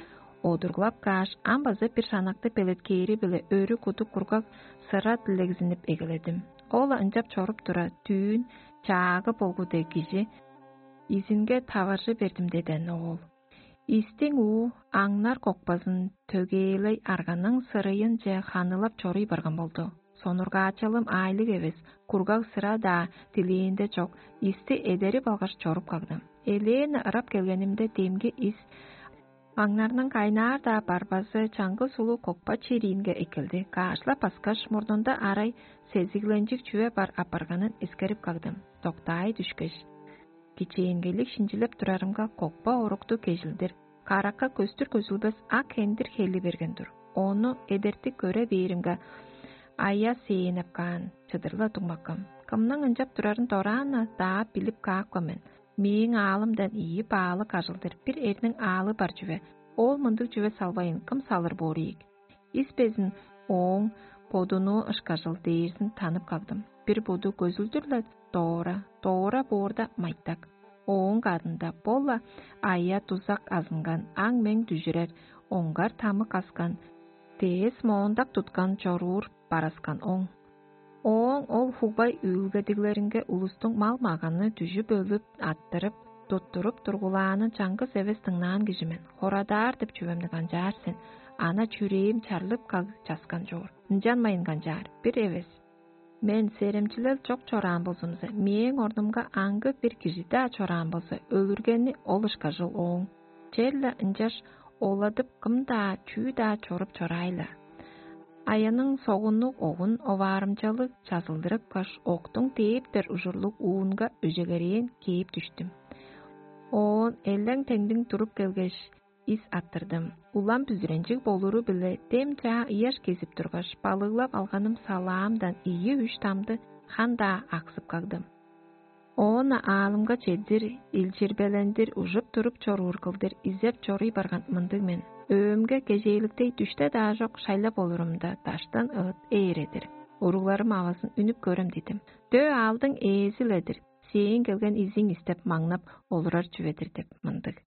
одурлап кааш, ам база бир шаннакты белеткээри-биле өрү кудук кургаг сыра дилегзинип эгеледим. Ол-ла ынчап чоруп тура, дүүн чаагы болгу дег кижи изинге таваржы бердим деден оол. Истиң уу аңнар кокпазын төгээлей арганың сырыйынче ханылап чоруй барган болду. Сонургаачалым аайлыг эвес, кургаг сыра-даа дилээнде чок, исти эдерип алгаш чоруп кагдым. Элээн ырап келгенимде, демги ис Аңнарның кайнаар-даа барбазы чаңгыс улуг кокпа чериинге эккелди. Каашла баскаш, мурнунда арай сезигленчиг чүве бар апарганын эскерип кагдым. Доктаай дүшкеш, кичээнгейлиг шинчилеп турарымга, кокпа орукту кежилдир, каракка көстүр көзүлбес ак хендир хели берген тур. Ону эдертип көре бээримге, ая сээңеп каан, чыдыр-ла дуңмаккам. Кымның ынчап турарын дораан-на даап билип каапкан мен. Мээң аалымдан ийи баалык ажылдыр бир эрниң аалы бар чүве. Ол мындыг чүве салбайн, кым салыр боор ийик? Ис безин ооң бодунуу ышкажыл дээрзин танып кагдым. Бир буду көзүлдүр-ле доора, доора боорда майтак. Ооң кадында бо-ла ая-дузак азынган, аң-мең дүжүрер, оңгар тамык аскан, дээс моондак туткан чоруур бараскан оң. Ооң ол хугбай үүлгедиглеринге улустуң мал-маганы дүжүп өлүп, аттырып, туттуруп тургулаанын чаңгыс эвес дыңнаан кижи мен. Хорадаар деп чүвемни канчаар сен? Ана чүрээм чарлып каг часкан чоор. Ынчанмайн канчаар? Бир эвес. Мен серемчилел чок чораан болзумза, мээң орнумга аңгы бир кижи-даа чораан болза, өлүргени ол ышкажыл ооң. Черле ынчаш оладып, кым-даа, чүү-даа чоруп чораай-ла. Аяның согуннуг огун оваарымчалыг чазылдырыпкаш, октуң дээптер ужурлуг уунга өжегерээн кээп дүштүм. Оон элең-теңдиң туруп келгеш, ис аттырдым. Улам бүзүренчиг болуру-биле дем чаа ыяш кезип тургаш, балыглап алганым салаамдан ийи-үш дамды хан-даа аксып кагдым. Оон-на аалымга чедир, илчирбелендир, ужуп туруп чоруур кылдыр изеп чоруй барган мындыг мен. Өөмге кежээликтей дүште-даа чок шайлап олурумда, даштан ыт ээредир. Уругларым авазын үнүп көрем дидим. Дөө аалдың ээзи-ле-дир, сээң келген изиң истеп маңнап олурар чүве-дир деп мындыг.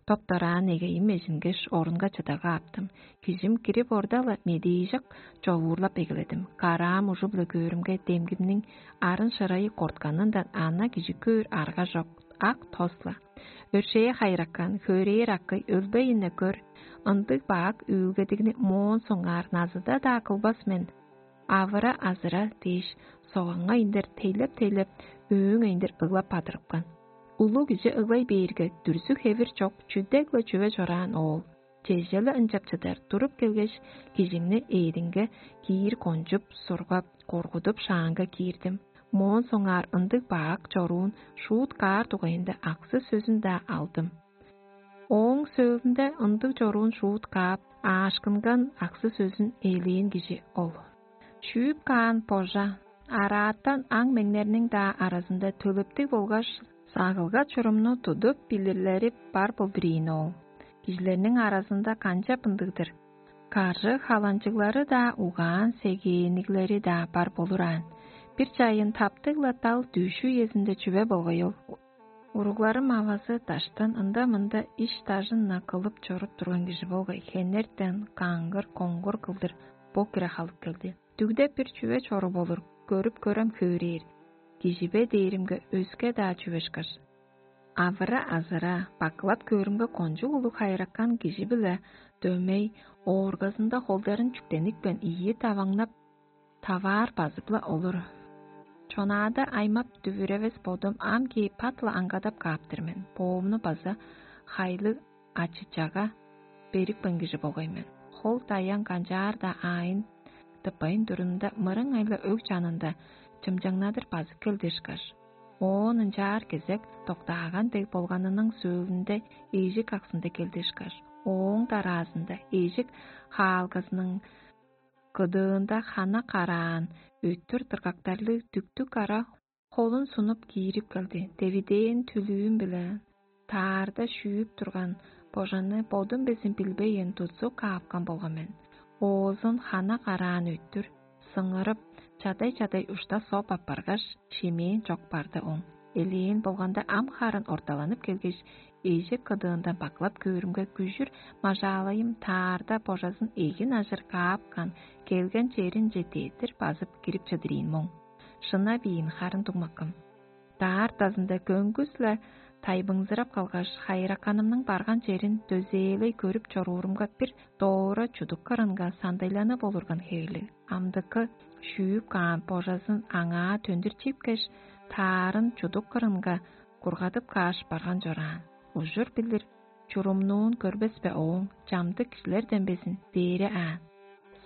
Топ-дораан эгейим эжингеш, орунга чыдага аптым. Кижим кирип орда-ла, медээжек човуурлап эгеледим. Караам ужу-биле көөрүмге, демгимниң арын шырайы кортканындан ана кижи көөр арга чок, ак тос-ла. Өршээ хайыраккан, хөөрээр акый, өлбейин-не көр, ындыг бак үүлгедигни моон соңгаар назыда-даа кылбас мен. Авыра-азыра дээш, согаңга индер тейлеп-тейлеп, өөң индер ыглап бадырыпкан. Улуг кижи ыглай бээрге, дүрзү-хевир чок, чүдек-ла чүве чораан оол. Чеже-ле ынчап чыдар, туруп келгеш, кижимни ээдинге киир кончуп, сургап, коргудуп, шаанга киирдим. Моон соңгаар ындыг бак чоруун шуут каар дугайында аксы сөзүн-даа алдым. Ооң сөөлүнде ындыг чоруун шуут каап, аашкынган аксы сөзүн ээлээн кижи ол. Шүүп каан божа, араатан аң-меңнерниң-даа аразында төлептиг болгаш сагылга чурумну тудуп билирлери бар болдур ийин ол. Кижилерниң аразында канчап ындыг-дыр? Каржы халанчыглары-даа, угаан сегээниглери-даа бар болураан. Бир чайын таптыг-ла дал дүъш үезинде чүве болгай ол. Уругларым авазы даштан ында-мында иш-дажын-на кылып чоруп турган кижи болгай, хенертен каңгыр-коңгур кылдыр бо кире халып келди. Дүгде бир чүве чоруп олур, көрүп көрем хөөрээр. Кижи бе дээримге өске-даа чүве ышкаш. Авыра-азыра, бакылап көөрүмге кончуг улуг хайыракан кижи-биле дөмей, ооргазында холдарын чүктеникпен ийи даваңнап, таваар базып-ла олур. Чонаада аймап дүвүревес бодум ам кээп пат-ла аңгадап кааптыр мен. Боомну база хайлыг ачы-чага берипкен кижи болгай мен. Хол даян канчаар-даа аайын тыппайн турумда, мырыңай-ла өг чанында чымчаңнадыр базып келди ышкаш. Оон ынчаар кезек доктааган дег болганының сөөлүнде эжик аксында келди ышкаш. Ооң дараазында эжик хаалгазының кыдыында хана караан, өттүр дыргактарлыг дүктүг кара холун сунуп киирип келди. Девидээн түлүүм-биле таарда шүүп турган божаны бодум безин билбейн тудзуп каапкан болган мен. Оозун хана караан өттүр, сыңырып, чадай-чадай ушта соп аппаргаш, шимээн чок барды оң. Элээн болганда ам харын орталанып келгеш, эжик кыдыындан баклап көөрүмге, күжүр мажаалайым таарда божазын эгин ажыр каапкан, келген черинче дедир базып кирип чыдырыйн моң. Шынап ийин харын дуңмаккым. Даартазында көңгүс-ле тайбыңзырап калгаш, хайыраканымның барган черин дөзээлей көрүп чоруурумга, бир доора чудук кырынга сандайланып олурган хевирлиг. Амдыкы шүүп каан божазын аңаа төндүр чипкеш, таарын чудук кырынга кургадып кааш барган чораан. Ужур билир чурумнуун көрбес бе ооң, чамдык кижилерден безин дээре аан.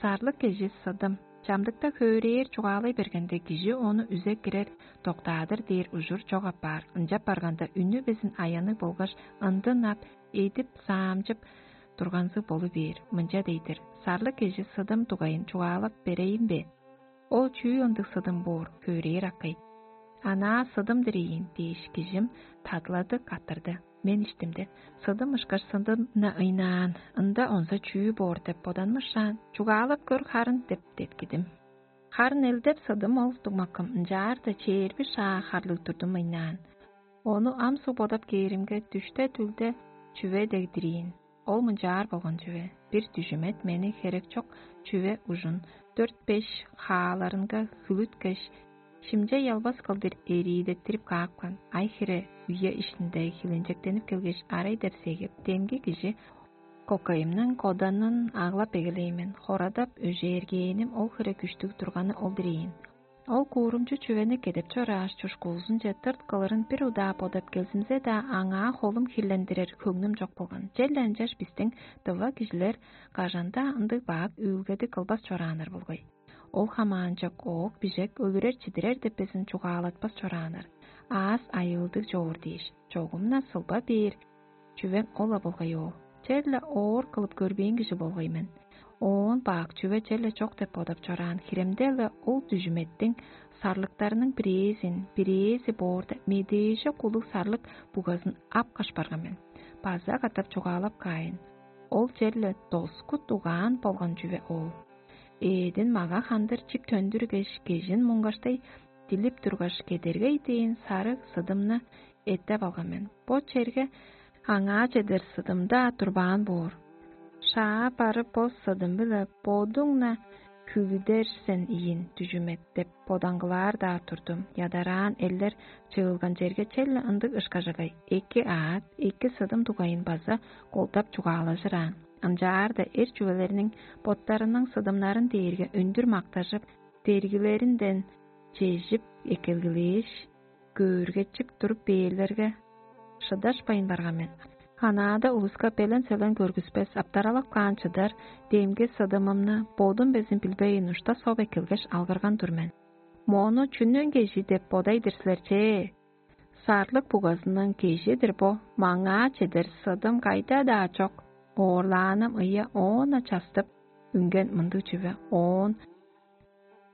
Сарлык кежи сыдым, чамдыкта хөөрээр чугаалай бергенде, кижи ону үзе кирер, доктаадыр дээр ужур чок апаар, ынчап барганда үнү безин аянныг болгаш ындын ап, эдип, саамчып турганзыг болу бээр. Мынча дейдир: «Сарлык кежи сыдым дугайын чугаалап берейин бе? Ол чүү ындыг сыдым боор, хөөрээр акый?» «Анаа сыдым-дыр ийин» дээш, кижим тадылады каттырды. Мен иштимде: «Сыдым ышкаш сыдым-на ыйнаан, ында онза чүү боор?» — деп боданмышаан, «Чугаалап көр харын» — деп деткидим. Харын элдеп сыдым ол дугмакым, ынчаарда чээрби шаа харлыг турдум ыйнаан. Ону ам суг бодап кээримге, дүште-дүлде чүве дегдириин. Ол мынчаар болган чүве: бир дүжүмет мени херек чок чүве ужун дөрт-беш хааларынга хүлүткеш, шимче ялбас кылдыр эриидеттирип каапкан. Ай-хире үе иштинде хилинчектенип келгеш, арай деп сегип, демги кижи кокайымның коданын аглап эгелээн мен. Хорадап өжээргээним ол хире күштүг турганы ол-дур ийин. Ол куурумчу чүвени кедеп чорааш, чушкуузунче тырт кылырын бир удаа бодап келзимзе-даа, аңаа холум хирлендирер хөңнүм чок болган. Черле ынчаш бистиң дыва кижилер кажан-даа ындыг бак үүлгеди кылбас чорааннар болгай. Ол хамаанчок оок-бижек өлүрер-чидирер деп безин чугаалатпас чорааннар. Аас айыылдыг чоор дээш, чогум-на сылба бээр чүвең ол-ла болгай ол. Черле оор кылып көрбээн кижи болгай мен. Оон бак чүве черле чок деп бодап чораан хиремде-ле ол дүжүметтиң сарлыктарының бирээзин, бирээзи боорда медээже кулуг сарлык бугазын ап каш барган мен. База катап чугаалап каайн. Ол черле доску дугаан болган чүве ол. Эъдин мага хандыр чип төндүргеш, кежин муңгаштай дилип тургаш, кедергей дээн сарыг сыдымны эттеп алган мен. Бо черге аңаа чедер сыдым-даа турбаан боор. Шаа барып, бо сыдым-биле бодуң-на хүлүдер сен ийин, дүжүмет деп бодаңгылаар-даа турдум. Ядараан элдер чыылган черге черле ындыг ышкажагай эки аът, эки сыдым дугайын база колдап чугаалажыраан. Ынчаарда эр чүвелерниң боттарының сыдымнарын дээрге өндүр мактажып, дергилеринден чежип эккелгилээш, көөргетчип туруп бээрлерге, шыдашпайн барган мен. Ханаада улуска белен-селен көргүспес, аптаралап каан чыдар демги сыдымымны бодум безин билбейн ушта соп эккелгеш, алгырган тур мен. Мону чүнүң кежи деп бодай-дыр силер че? Сарлык бугазының кежи-дир бо, маңаа чедер сыдым кайда-даа чок. Оорлааным ыйа оона частып үнген мындыг чүве. Оон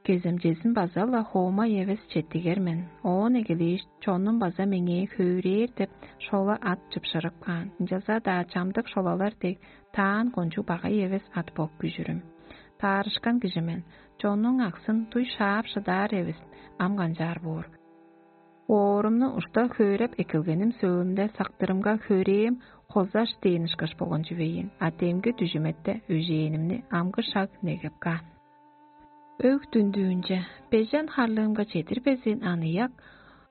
кеземчезин база-ла хоомай эвес четтигер мен. Оон эгелээш, чонум база меңээ хөөрээр деп шола ат чыпшырып каан. Ынчалза-даа чамдык шолалар дег таан кончуг багай эвес ат бо күжүрүм. Таарышкан кижи мен. Чоннуң аксын дуй шаап шыдаар эвес, ам канчаар боор. Оорумну ушта хөөреп эккелгеним сөөлүнде сактырымга хөөрээм хозаш дээн ышкаш болган чүвейин, а демги дүжүметте өжээнимни амгы шаг негеп каан. Өг дүндүүнче, бежен харлыымга чедирбезин аныяк,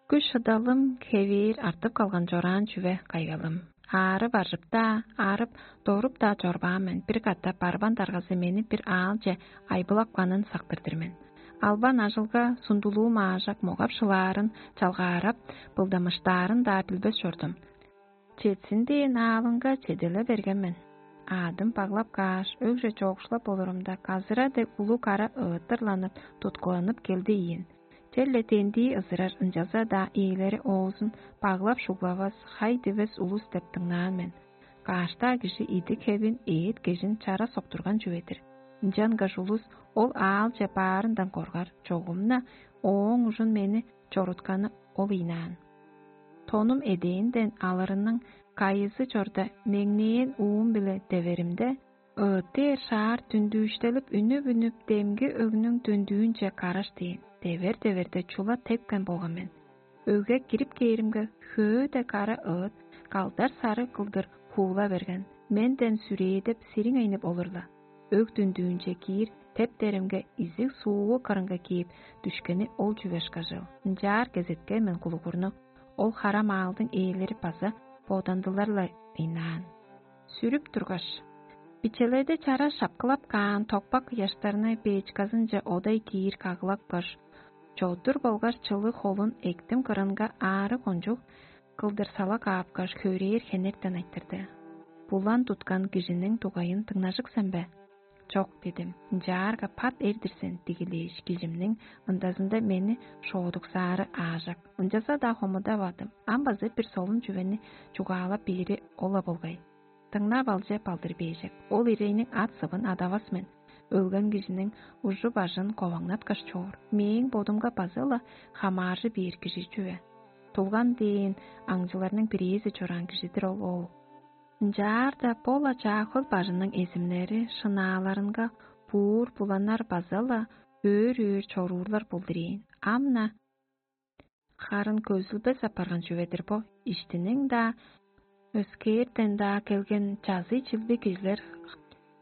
күш-шыдалым хевээр артып калган чораан чүве кайгалым. Аары баржып-даа, арып, доруп-даа чорбаан мен, бир катап барбан даргазы мени бир аалче айбылапканын сактыр-дыр мен. Албан ажылга сундулуум аажак могап шылаарын, чалгаарап, былдамыштаарын-даа билбес чордум. Четсин дээн аалынга чеделе берген мен. Аадым баглап кааш, өгже чоокшулап болурумда, казыра дег улуг кара ыыттырланып, туткуланып келди ийин. Черле тендии ызырар, ынчалза-даа ээлери оозун баглап шуглавас, хай дивес улус деп дыңнаан мен. Каштаа кижи идик хевин, ээт кежин чара соктурган чүве-дир. Ынчангаш улус ол аалче баарындан коргар, чогум-на ооң ужун мени чорутканы ол ыйнаан. Тонум эдээнден алырының кайызы чорда меңнээн уум-биле деверимде, ыыттээр шаар дүндүүштелип үнүп-үнүп, демги өгнүң дүндүүнче караш дээн, девер-деверде чула тепкен болган мен. Өгге кирип кээримге, хөөде кара ыыт калдар сары кылдыр хуула берген, менден сүрээдеп, сириңейнип олурла. Өг дүндүүнче киир тептеримге, изиг сууву кырынга кээп дүшкени ол чүве ышкажыл. Ынчаар кезеткен мен кулугурну, ол хара маалдың ээлери база бодандылар-ла ыйнаан. Сүрүп тургаш, бичеледи чара шапкылап каан токпак ыяштарны бээчказынче одай киир кагылапкаш, чодур болгаш чылыг холун эктим кырынга аары кончуг кылдыр сала каапкаш, хөөрээр хенертен айтырды: булан туткан кижиниң дугайын дыңнажык сен бе?» «Чок» — дидим. «Ынчаарга пат эр-дир сен» — дигилээш, кижимниң ындазында мени шоодуксаары аажок. Ынчалза-даа хомудавадым. Ам база бир солун чүвени чугаалап бээри ол-ла болгай. Дыңнап алче балдыр бээжек. Ол ирейниң ат-сывын адавас мен. Өлген кижиниң ужу-бажын коваңнаткаш чоор. Мээң бодумга база-ла хамааржы бээр кижи чүве. Тулган дээн аңчыларның бирээзи чораан кижи-дир ол оол. Ынчаарда бо-ла чаа хөл бажының эзимнери шынааларынга буур буланнар база-ла өөр-өөр чоруурлар болдур ийин. Ам-на харын көзүлбес апарган чүве-дир бо. Иштиниң-даа, өскээрден-даа келген чазый чилби кижилер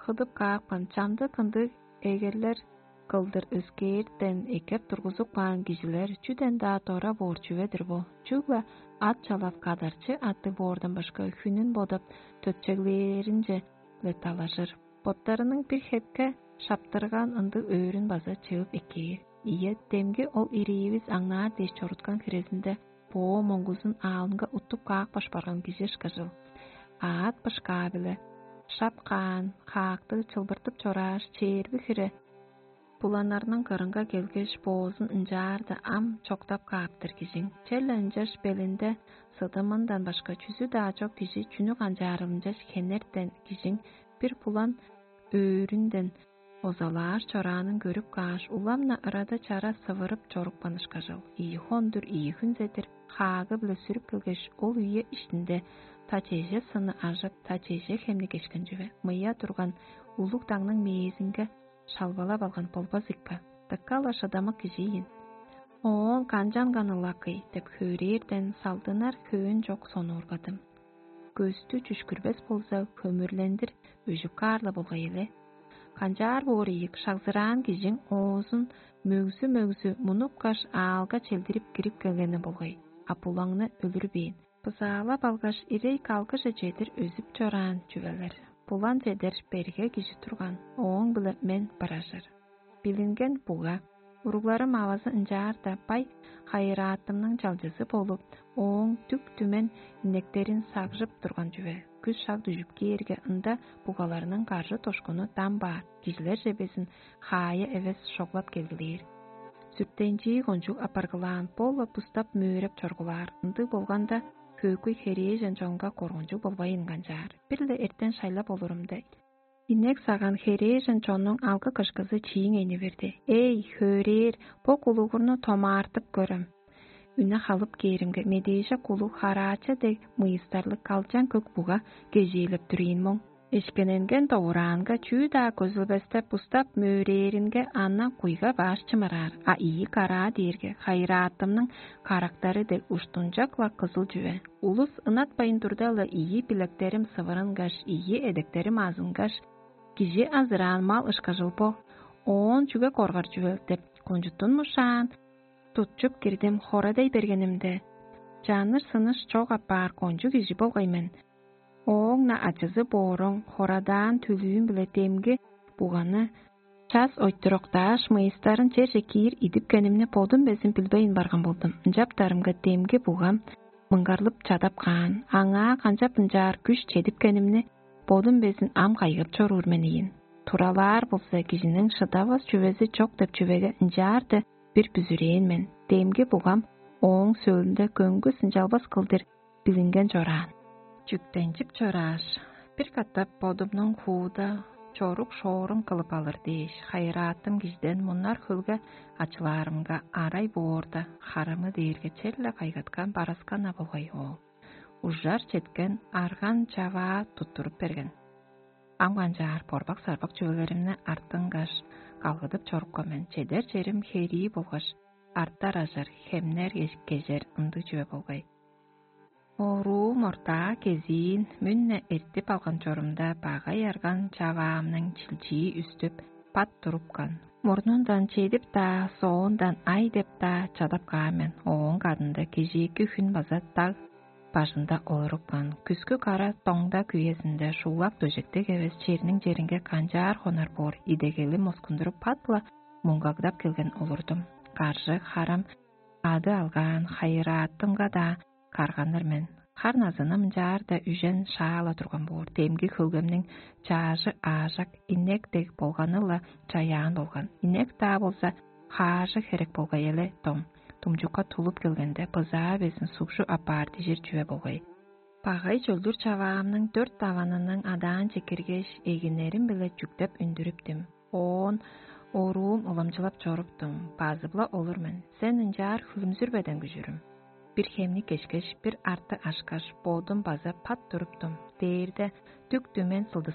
хыдып каапкан, чамдык ындыг эгерлер кылдыр өскээрден эккеп тургузуп каан кижилер чүден-даа дора боор чүве-дир бо. Чүгле ат чалап кадарчы аттыг боордан башка хүнүн бодап, төтчеглээринче-ле талажыр. Боттарының бир хепке шаптырган ындыг өөрүн база чыып эккээр. Ийе, демги ол ириивис аңнаар дээш чоруткан хирезинде боо моңгузун аалынга уттуп каапкаш барган кижи ышкажыл. Аът бышкаа-биле шап каан хаакты чылбыртып чорааш, чээрби хире буланнарның кырынга келгеш, боозун ынчаарда ам чоктап кааптыр кижиң. Черле ынчаш белинде сыдымындан башка чүзү-даа чок кижи чүнү канчаарыл ынчаш хенертен кижиң бир булан өөрүнден озалаар чораанын көрүп кааш, улам-на ырада чара сывырып чорупкан ышкажыл. Ийи хондур, ийи хүнзедир хаагы-биле сүрүп келгеш, ол үе иштинде та чеже сынны ажып, та чеже хемни кешкен чүве. Мыя турган улуг дагның мээзинге шалбалап алган болбас ийикпе? Дыка-ла шыдамык кижи ийин. Оон канчанган ылакый деп хөөрээрден салдынар хөөн чок сонуургадым. Көстү чүшкүрбес болза, хөмүрлендир өжүп каар-ла болгай эле. Канчаар боор ийик, шагзыраан кижиң оозун мөгзү-мөгзү мунупкаш, аалга челдирип кирип келгени болгай, а булаңны өлүрбээн. Бызаалап алгаш, ирей калгыже чедир өзүп чораан чүвелер. Булан чедер берге кижи турган, ооң-биле мен быражыр. Билинген буга. Уругларым авазы ынчаарда бай хайыраатымның чалчызы болуп, ооң дүк-түмен инектерин сагжып турган чүве. Күс шаг дүжүп кээрге, ында бугаларның каржы тошкуну дам баар, кижилерже безин хаая эвес шоглап келгилээр. Сүртенчии кончуг апаргылаан, бо-ла бустап мөөрэп чоргулаар. Ындыг болганда, хөөкүй херээжен чонга коргунчуг болбайн канчаар. Бир-ле эртен шайлап олурумда, инек саган херээжен чоннуң алгы-кышкызы чииң эни берди: «Эй, хөөрээр, бо кулугурну томаартып көрем». Үне халып кээримге, медээже кулуг хараача дег мыйыстарлыг калчан көк буга кежээлеп дүрээн моң. Эшкененген довураанга чүү-даа көзүлбестеп, бустап мөөрээринге, ана куйга баш чымыраар, а ийи караа дээрге хайыраатымның карактары дег уштунчак-ла кызыл чүве. Улус ынатпайн турда-ла, ийи билектерим сывырынгаш, ийи эдектерим азынгаш, кижи азыраан мал ышкажыл бо. Оон чүге коргар чүвел деп, кончуттунмушаан, тутчуп кирдим. Хорадей бергенимде, чаныш-сыныш чок апаар кончуг кижи болгай мен. Ооң-на ачызы бооруң, хорадаан түлүүм-биле демги буганы час ойтуруктааш, мыйыстарын черже киир идипкенимни бодум безин билбейн барган болдум. Ынчаптарымга демги бугам мыңгарлып чадап каан. Аңаа канчап ынчаар күш чедипкенимни бодум безин ам кайгап чоруур мен ийин. Туралаар болза, кижиниң шыдавас чүвези чок деп чүвеге ынчаарда бир бүзүрээн мен. Демги бугам ооң сөөлүнде көңгүс ынчалбас кылдыр билинген чораан. Чүктенчип чорааш, бир катап бодумнуң хууда чорук-шоорум кылып алыр дээш, хайыраатым кижиден муннар хөлге ачылаарымга, арай боорда, харамы дээрге черле кайгаткан бараскан-на болгай ол. Ужар четкен арган чаваа туттуруп берген. Ам канчаар борбак-сарбак чүвелеримни артынгаш, калгыдып чорупкан мен. Чедер черим херии болгаш, артар ажар, хемнер кежер ындыг чүве болгай. Оруум ортаа кезиин мүн-не эртип алган чорумда, багай арган чаваамның чилчии үстүп, пат турупкан. Мурнундан чедип-даа, соондан ай деп-даа чадап каан мен. Ооң кадында кежээки хүн база даг бажында олурупкан. Күскү кара доңда күезинде шуулак дөжектиг эвес черниң черинге канчаар хонар боор, идегелим оскундуруп, пат-ла муңгагдап келген олурдум. Каржы, харам, ады алгаан хайыраатымга-даа карганнар мен. Хар назыны мынчаар-да үжен шаала турган боор. Демги хөлгемниң чаажы аажак инек дег болганы-ла чаяан болган. Инек-даа болза хаажы херек болгай эле дом. Думчукка тулуп келгенде бызаа безин сукшу апаар дижир чүве болгай. Багай чөлдүр чаваамның дөрт даванының адаан чекиргеш, эгиннерим-биле чүктеп үндүрүптүм. Оон оруум уламчылап чоруптум, базып-ла олур мен. Сен ынчаар хүлүмзүрбеден күжүрүм. Бир хемни кешкеш, бир арты ашкаш, бодум база пат туруптум. Дээрде дүк дүмен сылдыс